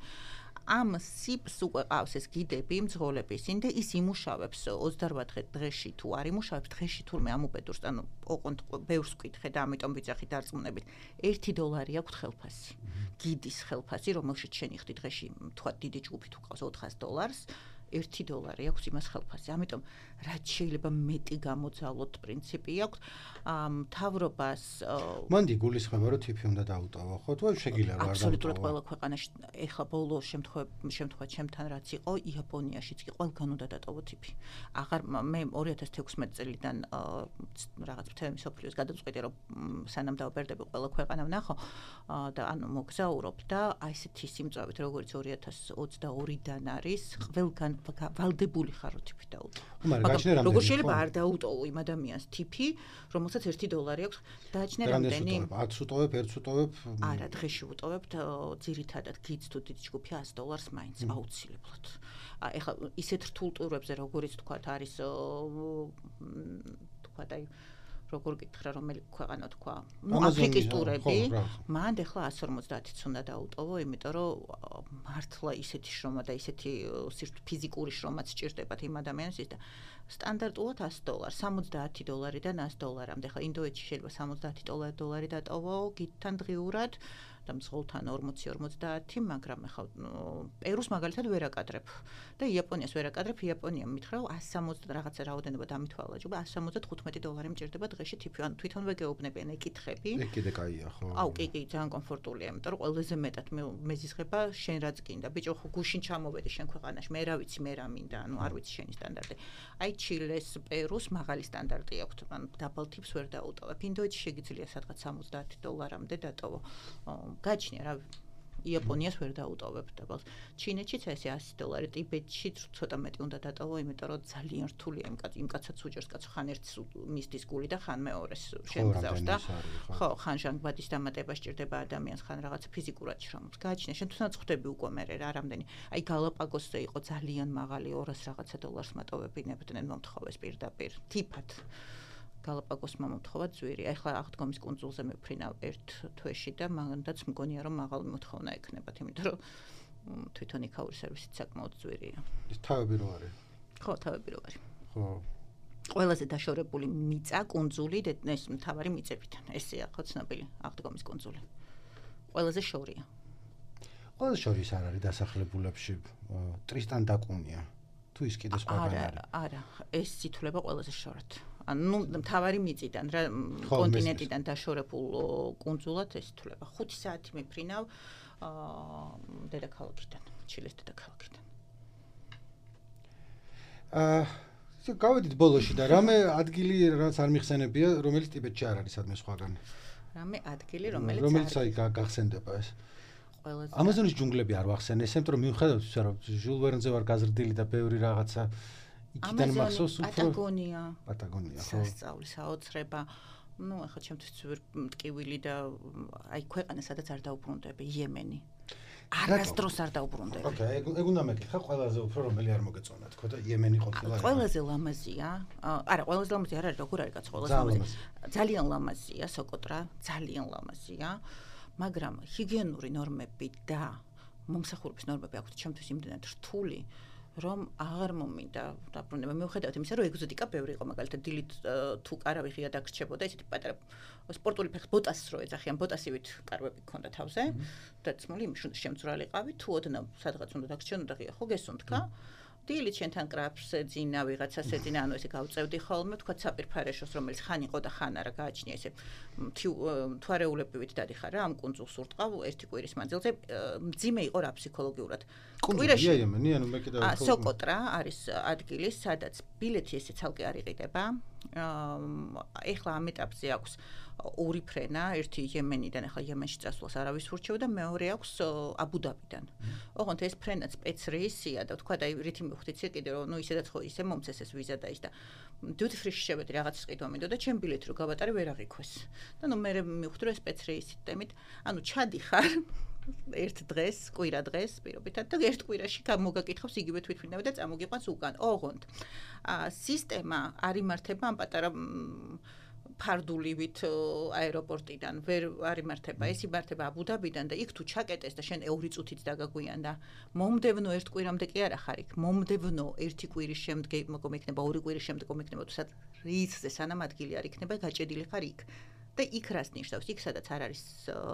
ამ სიპს უკვე ყავს ეს გიდები, მძღოლები ისინი და ის იმუშავებს ოცდაოთხ დღეში თუ არ იმუშავებს დღეში თურმე ამ უბედურს, ანუ ოღონდ ბევრს ვკითხე და ამიტომ ვიძახი დარწმუნებით. ერთი დოლარი აქვს ხელფასი. გიდის ხელფასი, რომელშიც შენ იხდი დღეში, თქვათ, დიდი ჯგუფი თუ ყავს ოთხას დოლარს, ერთი დოლარი აქვს იმას ხელფასი. ამიტომ რაც შეიძლება მეტი გამოძალოთ პრინციპი აქვს. მთავრობას მანდი გულისხმობა რომ ტიპი უნდა დაუტოვო, ხო? თუ შეგიძლია რა არ დაუტოვო. აბსოლუტურად ყველა ქვეყანაში ეხლა ბოლო შემთხვევაში შემთხვევაში ჩემთან რაც იყო, იაპონიაშიც კი ყველგან უნდა დატოვო ტიპი. აღარ მე ორი ათას თექვსმეტ წელიდან რაღაც თემის მსოფლიოს გადაწყვეტე რომ სანამ დავბერდები ყველა ქვეყანა ვნახო და ანუ მოგზაურობ და აი ესეთი სიმწავით როგორც ორი ათას ოცდაორიდან არის ყველგან ვალდებული ხარ რომ ტიპი დაუტოვო. მაგრამ როგორ შეიძლება არ დაუტოვო იმ ადამიანს ტიპი, რომელსაც ერთი დოლარი აქვს, დააჩნე რამდენი? ათს უტოვებ, ერთს უტოვებ? არა, დღეში ვუტოვებ, ძირითადად გიც თუ დიდი ჯგუფი ას დოლარს მაინც აუცილებლად. ეხლა ისეთ რთულ ტურებზე როგორიც თქვათ არის თქვათ აი როგორ გითხრა რომელი ქვეყანა თქვა ნუ აფრიკის ტურები მანდ ეხლა ას ორმოცდაათიც უნდა დაუტოვო იმიტომ რომ მართლა ისეთი შრომა და ისეთი ფიზიკური შრომაც სჭირდებათ იმ ადამიანისთვის და სტანდარტულად ას დოლარი სამოცდაათი დოლარიდან ას დოლარამდე ხა ინდოეთში შეიძლება სამოცდაათი დოლარი დატოვო გითთან დღიურად და მსხოლთან ორმოცი ორმოცდაათი მაგრამ ხა პერუს მაგალითად ვერ აკადრებ და იაპონიას ვერ აკადრებ იაპონიამ მითხრა რომ ას სამოცდა რაღაცა რაოდენობა დამითვალა ჯობა ას სამოცდათხუთმეტი დოლარი მჭირდება დღეში ტიპი ანუ თვითონვე გეუბნებიან ეკითხები ეგ კიდე კაია ხო აუ კი კი ძალიან კომფორტულია იმიტომ რომ ყველაზე მეტად მეზიზღება შენ რაც გინდა ბიჭო ხო გუშინ ჩამოვედი შენ ქვეყანაში მე რა ვიცი მე რა მინდა ანუ არ ვიცი შენი სტანდარტი აი ჩილეს პერუს მაღალი სტანდარტი აქვს ანუ დაბალ ტიპს ვერ დაუტოვებ ინდოეთში შეგიძლია სადღაც სამოცდაათი დოლარამდე დატოვო გაჩნია რა იაპონიას ვერ დაუტოვებ დაბალს ჩინეთშიც ესე ასი დოლარი ტიბეტში ცოტა მეტი უნდა დატოვო იმიტომ რომ ძალიან რთულია იმ კაც იმ კაცაც უჯერს კაცო ხან ერთს მისდის გული და ხან მეორეს შემგზავს და ხო ხან ჟანგბადის დამატება სჭირდება ადამიანს ხან რაღაც ფიზიკურად შრომობს გაჩნია შენ თუნდაც ხვდები უკვე მე რა რამდენი აი გალაპაგოსზე იყო ძალიან მაღალი ორას რაღაცა დოლარს მატოვებინებდნენ მომთხოვეს პირდაპირ ტიპად გალაპაგოსმა მომთხოვა ძვირი. ახლა აღდგომის კუნძულზე მიფრინავ ერთ თვეში და მანდაც მგონია რომ მაღალი მოთხოვნა ექნებათ, იმიტომ რომ თვითონ იქაური სერვისიც საკმაოდ ძვირია. ეს თავები რო არის. ხო, თავებიროვარი. ხო. ყველაზე დაშორებული მიწა, კუნძული, ეს მთავარი მიწებიდან. ესეა ხო ცნობილი აღდგომის კუნძული. ყველაზე შორია. ყველაზე შორის არ არის დასახლებულებში ტრისტან და კუნია. თუ ის კიდე სხვაგან არის. არა, არა, ეს ითვლება ყველაზე შორად. ანუ მთავარი მიწიდან, რა კონტინენტიდან დაშორებულ კუნძულად ეს ითვლება. ხუთი საათი მიფრინავ აა დედაქალაქიდან, ჩილეს დედაქალაქიდან. აა გავედით ბოლოში და რამე ადგილი რაც არ მიხსენებია, რომელიც ტიბეტში არ არის სადმე სხვაგან. რამე ადგილი, რომელიც რომელიც აი გახსენდება ეს. ყველაზე ამაზონის ჯუნგლები არ ვახსენე, ესემ რომ მიუხედავად ისა რომ ჟულ ვერნზე ვარ გაზრდილი და ბევრი რაღაცა იქიდან მახსოვს უფრო პატაგონია. პატაგონია, ხო. სასწაული, საოცრება. ნუ ახლა ჩემთვის მტკივილი და აი ქვეყანა სადაც არ დაუბრუნდები, იემენი. არასდროს არ დაუბრუნდები. ოკეი, ეგ უნდა მეკითხა ყველაზე უფრო რომელი არ მოგეწონა თქო და იემენი ყოფილა. ყველაზე ლამაზია. არა, ყველაზე ლამაზი არ არის, როგორ არის კაც ყველაზე ლამაზი. ძალიან ლამაზია სოკოტრა, ძალიან ლამაზია. მაგრამ ჰიგიენური ნორმები და მომსახურების ნორმები აქვს ჩემთვის იმდენად რთული, რომ აღარ მომინდა დაბრუნება. მიუხედავად იმისა, რომ ეგზოტიკა ბევრი იყო, მაგალითად დილით თუ კარავი ღია დაგრჩებოდა, ისეთი პატარა სპორტული ფეხს ბოტასს რო ეძახიან, ბოტასივით კარვები გქონდა თავზე, დაცმული იმის უნდა შემწვრალიყავი, თუ ოდნავ სადღაც უნდა დაგრჩენ, უნდა ღია ხო გესუნთქა. დილით შენთან კრაფს ეძინა, ვიღაცას ეძინა, ანუ ესე გავწევდი ხოლმე, თქვა საპირფარეშოს, რომელიც ხან იყო და ხან არა გააჩნია, ესე თვარეულებივით დადიხარ რა, ამ კუნძულს ურტყავ ერთი კვირის მანძილზე, მძიმე იყო რა ფსიქოლოგიურად. კვირაში იემენი, ანუ მე კიდევ ხო. სოკოტრა არის ადგილი, სადაც ბილეთი ესე ცალკე არ იყიდება. ეხლა ამ ეტაპზე აქვს ორი ფრენა, ერთი იემენიდან, ახლა იემენში წასვლას არავის ურჩევ და მეორე აქვს აბუდაბიდან. ოღონდ ეს ფრენა სპეცრეისია და თქვა და რითი მივხვდით კიდე რომ ნუ ისედაც ხო ისე მომწეს ეს ვიზა და ის და duty free შევედი რაღაც ყიდვა მინდოდა ჩემ ბილეთი რო გავატარე ვერ აღიქვეს. და ნუ მე მივხვდი რომ სპეცრეისით დემით, ანუ ჩადიხარ ერთ დღეს, კვირა დღეს პირობითად და ერთ კვირაში გამოგაკითხავს იგივე თვითმფრინავი და წამოგიყვანს უკან. ოღონდ სისტემა არ იმართება ამ პატარა ფარდულივით აეროპორტიდან ვერ არ იმართება, ეს იმართება აბუდაბიდან და იქ თუ ჩაკეტეს და შენ ორი წუთით დაგაგვიან და მომდევნო ერთ კვირამდე კი არა ხარ იქ, მომდევნო ერთი კვირის შემდგე მოგიქნება, ორი კვირის შემდეგ მოგიქნება, თუ სადაც რიცზე სანამ ადგილი არ იქნება, გაჭედილი ხარ იქ. და იქ რას ნიშნავს? იქ სადაც არ არის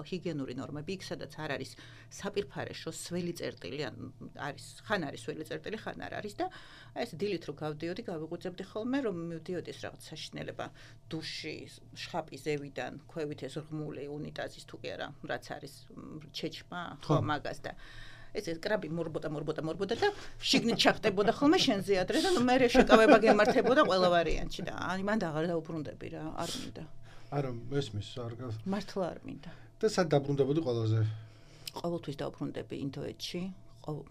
ჰიგიენური ნორმები, იქ სადაც არ არის საპირფარეშო სველი წერტილი, ან არის ხან არის სველი წერტილი, ხან არ არის და აი ეს დილით რო გავდიოდი, გავიღვიძებდი ხოლმე, რომ მივდიოდეს რაღაც საშინელება დუში, შხაპი ზევიდან, ქვევით ეს ღმული უნიტაზის თუ კი არა, რაც არის ჩეჩმა, ხო მაგას და ეს კრაბი მორბოდა მორბოდა მორბოდა და შიგნით ჩახტებოდა ხოლმე შენზე ადრე და ნუ მე შეკავება გემართებოდა ყველა ვარიანტში და აი მანდ აღარ დაუბრუნდები რა, არ მინდა. არა, ესმის, არ გას. მართლა არ მინდა. და სად დაბრუნდებოდი ყველაზე? ყოველთვის დაუბრუნდები ინდოეთში,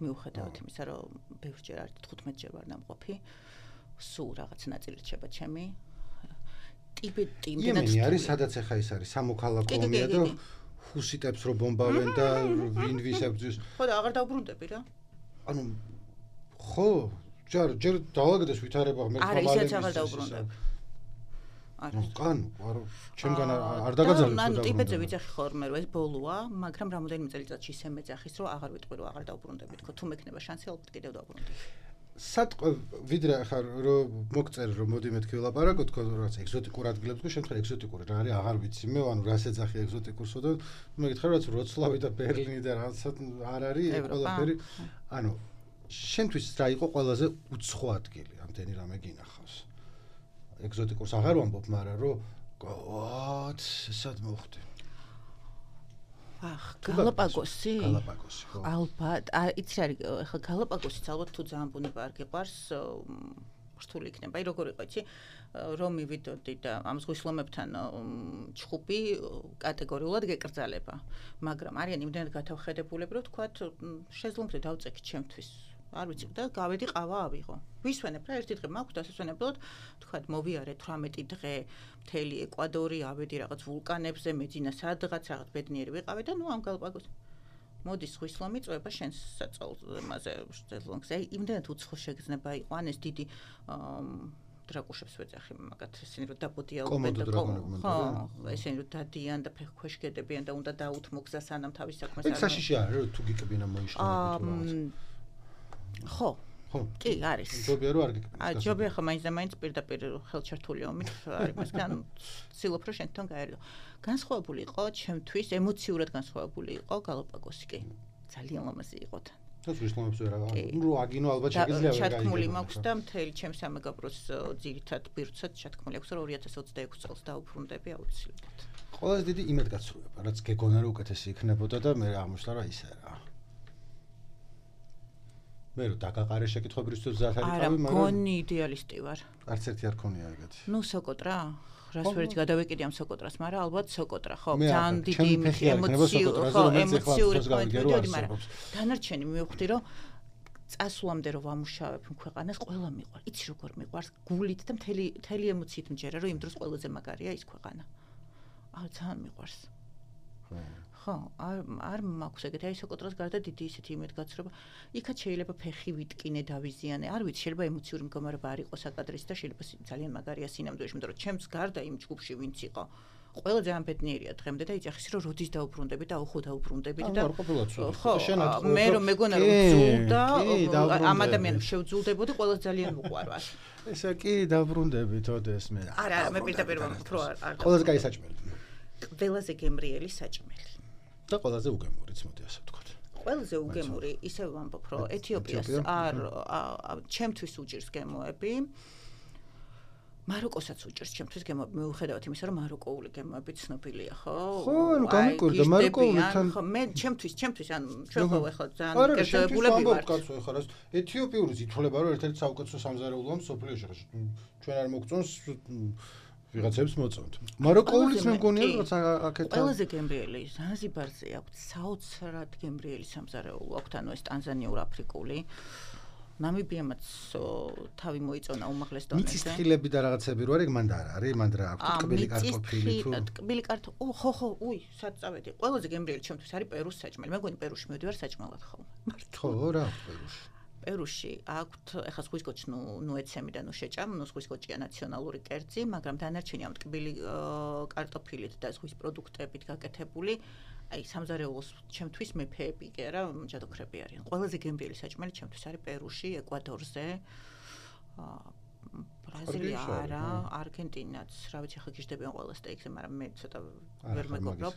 მიუხედავად იმისა, რომ ბევრჯერ არ თხუთმეტჯერ ვარ დამყოფი, სულ რაღაც ნაწილი რჩება ჩემი. ტიბეტი იმდენად იემენი არის, სადაც ახლა ის არის, სამოქალაქო ომია და ჰუსიტებს რო ბომბავენ და ვინ ვის ებრძვის. ხო და აღარ დაუბრუნდები რა. ანუ ხო, ჯერ ჯერ დავალაგდეს ვითარება მე არა, ისეც აღარ დაუბრუნდები. არა. კან, არა, ჩემგან არ დაგაძალებს. ანუ ტიბეტზე ვიძახი ხოლმე რომ ეს ბოლოა, მაგრამ რამოდენიმე წელიწადში ისე მეძახის რომ აღარ ვიტყვი რომ აღარ დაუბრუნდები, თქო თუ მექნება შანსი ალბათ კიდევ დაუბრუნდები. სად ვიდრე ახლა რომ მოგწერ რომ მოდი მეთქი ვილაპარაკო თქო რაღაც ეგზოტიკურ ადგილებს თქო შემთხვევით ეგზოტიკური რა არის აღარ ვიცი მე ანუ რას ეძახი ეგზოტიკურსო და მეკითხა რომ როცლავი და ბერლინი და რაღაცა არ არის ყველაფერი ანუ შენთვის რა იყო ყველაზე უცხო ადგილი ამდენი რამე გინახავს ეგზოტიკურს აღარ ვამბობ მაგრამ რომ ვათ სად მოხდი ახ გალაპაგოსი გალაპაგოსი ხო ალბათ იცი არის ახლა გალაპაგოსიც ალბათ თუ ძალიან ბუნება არ გიყვარს რთული იქნება აი როგორ იყო იცი რომ მივიდოდი და ამ ზღვის ლომებთან ჩხუბი კატეგორიულად გეკრძალება მაგრამ არიან იმდენად გათავხედებულები რომ თქვათ შეზლონგზე დავწექი ჩემთვის არ ვიცი და გავედი ყავა ავიღო ვისვენებ რა ერთი დღე მაქვს დასასვენებლად თქვათ მოვიარე თვრამეტი დღე მთელი ეკვადორი ავედი რაღაც ვულკანებზე მეძინა სადღაც რაღაც ბედნიერი ვიყავი და ნუ ამ გალაპაგოს მოდი ზღვის ლომი წვება შენს საწოლზე შეზლონგზე აი იმდენად უცხო შეგრძნება იყო ან ეს დიდი დრაკუშებს ვეძახი მაგათ ესენი რომ დაბოდიალობენ და ხო ესენი რომ დადიან და ფეხქვეშ გედებიან და უნდა დაუთმო გზა სანამ თავის საქმეს არ ეს საშიში არის რომ თუ გიკბინა მოიშლენები თუ ხო ხო? კი, არის. ჯობია რომ არ გეკითხეთ. აა, ჯობია ხო მაინც და მაინც პირდაპირ ხელჩართული ომით არის მასგან ცდილობ რომ შენ თვითონ გაერიდო. განსხვავებული იყო ჩემთვის, ემოციურად განსხვავებული იყო გალაპაგოსი კი. ძალიან ლამაზი იყო თან. და ვისლამებს ვერ აღარ. ნუ აგინო ალბათ შეგიძლია ვერ გაიგო. ჩათქმული მაქვს და მთელი ჩემს სამეგობროს ძირითად ბირთვსაც ჩათქმული აქვს რომ ორი ათას ოცდაექვსი წელს დაუბრუნდები აუცილებლად. ყველაზე დიდი იმედგაცრუება, რაც გეგონა რომ უკეთესი იქნებოდა და მე აღმოჩნდა რა ისე რა. მე რო დაგაყარე შეკითხვებისთვის ზათ არის თავი, მაგრამ არა, გონი იდეალისტი ვარ. არც ერთი არ ქონია ეგეთი. ნუ სოკოტრა, რას ვერც გადავეკიდი ამ სოკოტრას, მაგრამ ალბათ სოკოტრა, ხო, ძალიან დიდი ემოციური, ხო, ემოციური პოინტი, მაგრამ დანარჩენი მივხვდი, რომ წასვლამდე რომ ვამუშავებ ქვეყანას, ყველა მიყვარ. იცი როგორ მიყვარს, გულით და მთელი მთელი ემოციით მჯერა, რომ იმ დროს ყველაზე მაგარია ის ქვეყანა. აა, ძალიან მიყვარს. ხო, არ არ მაქვს ეგეთი, აი სოკოტრას გარდა დიდი ისეთი იმედგაცრუება. იქაც შეიძლება ფეხი ვიტკინე, დავიზიანე. არ ვიცი, შეიძლება ემოციური მდგომარეობა არ იყოს საკადრის და შეიძლება ძალიან მაგარია სინამდვილეში, იმიტომ რომ ჩემს გარდა იმ ჯგუფში ვინც იყო, ყველა ძალიან ბედნიერია დღემდე და იცახის რომ როდის დაუბრუნდები და აუხო დაუბრუნდებით და ხო, მე რომ მეგონა რომ ძულდა, ამ ადამიანებს შევძულდებოდი, ყველა ძალიან მოყვარვარ. ესა კი დაუბრუნდებით ოდეს მე. არა, არა, მე პირდაპირ ვამბობ, არ. ყველაზე კაი საჭმელი. ყველაზე გემრიელი საჭმელი. და ყველაზე უგემურიც, მოდი ასე ვთქვათ. ყველაზე უგემური, ისე ვამბობ, რომ ეთიოპიას არ ჩემთვის უჭირს გემოები. მაროკოსაც უჭირს ჩემთვის გემოები, მიუხედავად იმისა, რომ მაროკოული გემოები ცნობილია, ხო? ხო, ანუ გამიკვირდა მაროკოულთან. ხო, მე ჩემთვის, ჩემთვის ან ჩვენ ხო ახლა ძალიან კეთებულები ვართ. კაცო, ახლა რა ეთიოპიური ითვლება, რომ ერთ-ერთი საუკეთესო სამზარეულოა მსოფლიოში. ჩვენ არ მოგწონს ვიღაცებს მოწონთ. მაროკოულიც მე მგონია, როცა აქეთ ყველაზე გემრიელი ზანზიბარზე აქვს საოცრად გემრიელი სამზარეულო აქვს, ანუ ეს ტანზანიურ აფრიკული. ნამიბიამაც თავი მოიწონა უმაღლეს დონეზე. მიწის თხილები და რაღაცები რო არის, მან და არ არის, მან რა აქვს ტკბილი კარტოფილი თუ ტკბილი კარტოფილი, ხო ხო, უი, სად წავედი. ყველაზე გემრიელი ჩემთვის არის პერუს საჭმელი. მე მგონი პერუში მივდივარ საჭმელად ხოლმე. ხო, რა აქვს პერუში? პერუში აქვთ ეხლა ზღვის კოჭი ნუ ნუ ეცემი და ნუ შეჭამ, ნუ ზღვის კოჭია ნაციონალური კერძი, მაგრამ დანარჩენი ამ ტკბილი კარტოფილით და ზღვის პროდუქტებით გაკეთებული, აი სამზარეულოს ჩემთვის მეფეები კი არა, ჯადოქრები არიან. ყველაზე გემრიელი საჭმელი ჩემთვის არის პერუში, ეკვადორზე. ბრაზილია არა, არგენტინაც, რა ვიცი, ხა გიждდებიან ყველა სტეიქზე, მაგრამ მე ცოტა ვერ მეგობრობ.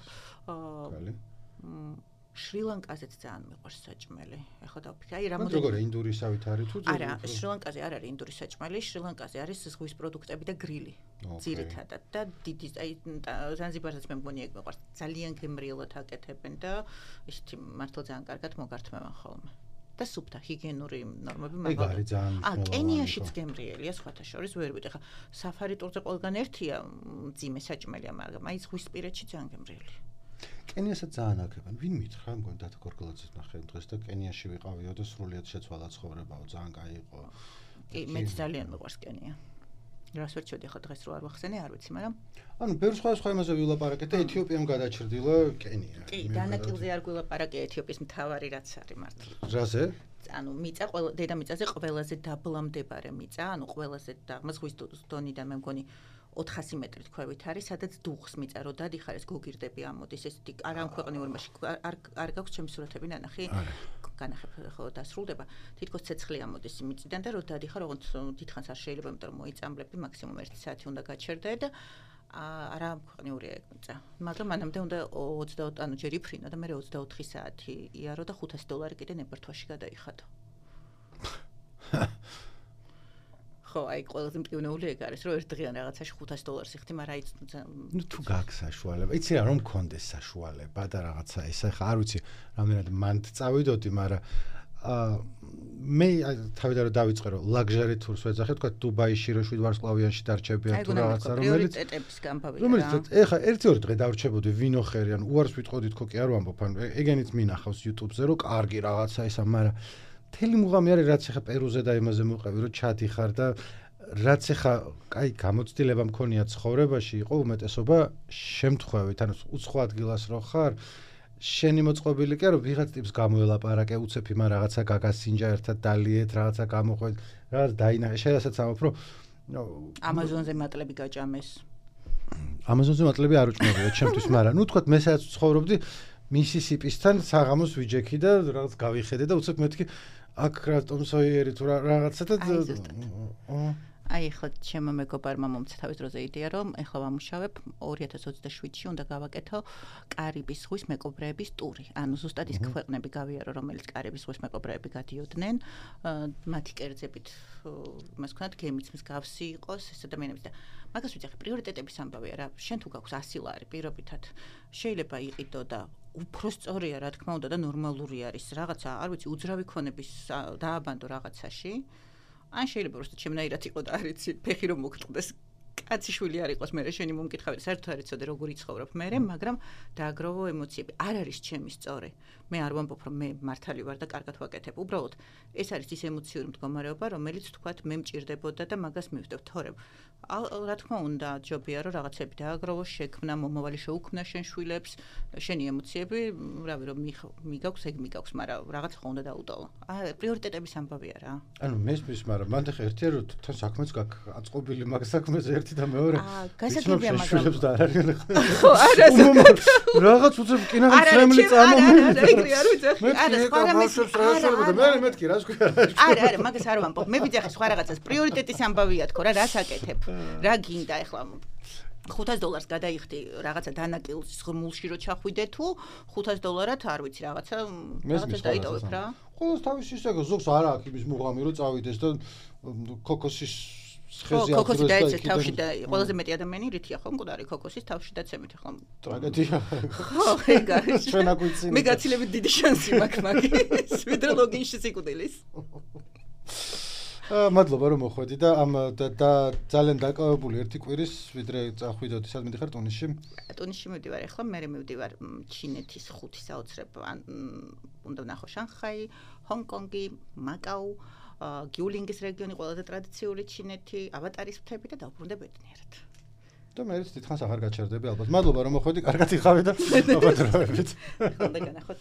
შრი-ლანკაზეც ძალიან მიყვარს საჭმელი. ეხლა დავფიქრე, აი რამოდენიმე. როგორია ინდურისავით არის თუ არა, შრი-ლანკაზე არ არის ინდურის საჭმელი, შრი-ლანკაზე არის ზღვის პროდუქტები და გრილი. ძირითადად და დიდი აი ზანზიბარზეც მე მგონი ეგ მიყვარს. ძალიან გემრიელად აკეთებენ და ისეთი მართლა ძალიან კარგად მოგართმევენ ხოლმე. და სუფთა ჰიგიენური ნორმები მაგალითად. ეგ არის ძალიან. აა, კენიაშიც გემრიელია სხვათა შორის, ვერ ვიტყვი. ხა საფარი ტურზე ყველგან ერთია მძიმე საჭმელია, მაგრამ აი ზღვისპირეთში ძალიან გემრიელია. კენიასაც ძალიან აკეთებენ. ვინ მითხრა, მგონი დათო გორგოლაძეს ნახე დღეს და კენიაში ვიყავიო და სრულიად შეცვალა ცხოვრებაო, ძალიან კაი იყო. კი, მეც ძალიან მიყვარს კენია. რას ვერ ჩოდი ხა დღეს რო არ ვახსენე, არ ვიცი, მაგრამ ანუ ბევრ სხვა სხვა იმაზე ვილაპარაკეთ და ეთიოპიამ გადაჭრდილა კენია. კი, დანაკილზე არ გვილაპარაკე ეთიოპიის მთავარი რაც არის მართლა. რაზე? ანუ მიწა ყველა დედამიწაზე ყველაზე დაბლამდებარე მიწა, ანუ ყველაზე ზღვის დონიდან მე მგონი ოთხასი მეტრი თქვევით არის, სადაც დუღს მიწა რო დადიხარ ეს გოგირდები ამოდის, ესეთი არ ამქვეყნიურ მასში არ არ გაქვს ჩემი სურათები ნანახი. განახებ ხო დასრულდება. თითქოს ცეცხლი ამოდის მიწიდან და რო დადიხარ, ოღონდ დიდხანს არ შეიძლება, იმიტომ რომ მოიწამლები, მაქსიმუმ ერთი საათი უნდა გაჩერდე და არა ამქვეყნიურია ეგ მიწა. მაგრამ მანამდე უნდა ოცდაოთხ ანუ ჯერ იფრინო და მე ოცდაოთხი საათი იარო და ხუთასი დოლარი კიდე ნებართვაში გადაიხადო. ხო, აი ყველაზე მტკივნეული ეგ არის, რომ ერთ დღიან რაღაცაში ხუთასი დოლარს იხდი, მაგრამ აი ნუ თუ გაქვს საშუალება. იცი რა, რომ მქონდეს საშუალება და რაღაცა ეს ახლა არ ვიცი, რამდენად მანდ წავიდოდი, მაგრამ აა მე თავიდან რომ დავიწყე რომ ლაგჟარი თურს ვეძახე, თქვა დუბაიში რო შვიდ ვარსკვლავიანში დარჩებიან თუ რაღაცა, რომელიც პრიორიტეტების გამბავია. რომელიც ეხლა ერთი ორი დღე დავრჩებოდი ვინოხერი, ანუ უარს ვიტყოდით ხო კი არ ვამბობ, ანუ ეგენიც მინახავს YouTube-ზე, რომ კარგი რაღაცა ისა, მაგრამ მთელი მუღამი არის, რაც ახლა პერუზე და იმაზე მოყევი, რომ ჩადიხარ და რაც ახლა კაი გამოცდილება მქონია ცხოვრებაში, იყო უმეტესობა შემთხვევით, ანუ უცხო ადგილას რო ხარ, შენი მოწყობილი კი არა, ვიღაც ტიპს გამოელაპარაკე, უცებ იმ რაღაცა გაგასინჯა ერთად დალიეთ, რაღაცა გამოყვეთ, რაღაც დაინახე, შედასაც ამბობ, რომ ამაზონზე მატლები გაჭამეს. ამაზონზე მატლები არ უჭმევია ჩემთვის, მაგრამ ნუ თქვათ მე სადაც ცხოვრობდი, მისისიპისთან საღამოს ვიჯექი და რაღაც გავიხედე და უცებ მეთქი აქ რა ტომ სოიერი თუ რაღაცა და აი ახლა ჩემო მეგობარმა მომცა თავის დროზე იდეა რომ ახლა ვამუშავებ ორი ათას ოცდაშვიდში უნდა გავაკეთო კარიბის ზღვის მეკობრეების ტური. ანუ ზუსტად ის ქვეყნები გავიარო, რომელიც კარიბის ზღვის მეკობრეები გადიოდნენ, მათი კერძებით მას ვქნათ გემიც მსგავსი იყოს ეს ადამიანების და მაგას ვიცი ახლა პრიორიტეტების ამბავია რა. შენ თუ გაქვს ასი ლარი პირობითად შეიძლება იყიდო და უფრო სწორია რა თქმა უნდა და ნორმალური არის რაღაცა, არ ვიცი, უძრავი ქონების დააბანდო რაღაცაში. ან შეიძლება უბრალოდ შემნაირად იყო და არ იცი ფეხი რომ მოგწყდეს კაციშვილი არ იყოს მე შენი მომკითხავი საერთოდ არ იცოდე როგორ იცხოვრობ მე მაგრამ დააგროვო ემოციები არ არის ჩემი სწორი მე არ ვამბობ რომ მე მართალი ვარ და კარგად ვაკეთებ უბრალოდ ეს არის ის ემოციური მდგომარეობა რომელიც თქვათ მე მჭირდებოდა და მაგას მივხვდებ თორემ რა თქმა უნდა ჯობია რომ რაღაცები დააგროვო შექმნა მომავალი შეუქმნა შენ შვილებს შენი ემოციები რავი რომ მიგაქვს ეგ მიგაქვს მაგრამ რაღაც ხო უნდა დაუტოვო აა პრიორიტეტების ამბავია რა ანუ მესმის მაგრამ მანდ ხა ერთია რომ თან საქმეც გაქვს აწყობილი მაგ საქმეზე ერთი და მეორე აა გასაგებია მაგრამ და არ არის ხო არა რაღაც უცებ კინაღაც რამელი წამომივიდა არა ეგრე არ ვიცი არა სხვა რამეს არა მე მეთქი რა სკويა არა არა მაგას არ ვამბობ მე ვიცი ახლა სხვა რაღაცას პრიორიტეტის ამბავია თქო რა რას აკეთებ რა გინდა ახლა ხუთას დოლარს გადაიხდი რაღაცა დანაკილს ღრმულში რო ჩახვიდე თუ ხუთას დოლარად არ ვიცი რაღაცა რაღაცა დაიტოვებ რა ყოველს თავის ისე ზოგს არა აქვს იმის მუღამი რო წავიდეს და ქოკოსის ხეზე ქოკოსი დაეცეს თავში და ყველაზე მეტი ადამიანი რითია ხო მკვდარი ქოკოსის თავში დაცემით ახლა ტრაგედია ხო ეგ არის ჩვენ აგვიცინეთ მე გაცილებით დიდი შანსი მაქვს მაგის ვიდრე ლოგინში სიკვდილის მადლობა რომ მოხვედი და ამ და ძალიან დაკავებული ერთი კვირის ვიდრე წახვიდოდი სად მიდიხარ ტუნისში ტუნისში მივდივარ ახლა მე მივდივარ ჩინეთის ხუთი საოცრებ უნდა ვნახო შანხაი ჰონკონგი მაკაუ გიულინგის რეგიონი ყველაზე ტრადიციული ჩინეთი ავატარის მთები და დავბრუნდე ბედნიერად და მე დიდხანს აღარ გაჩერდები ალბათ მადლობა რომ მოხვედი კარგად იხავე და აბადროებით ხონდა განახოთ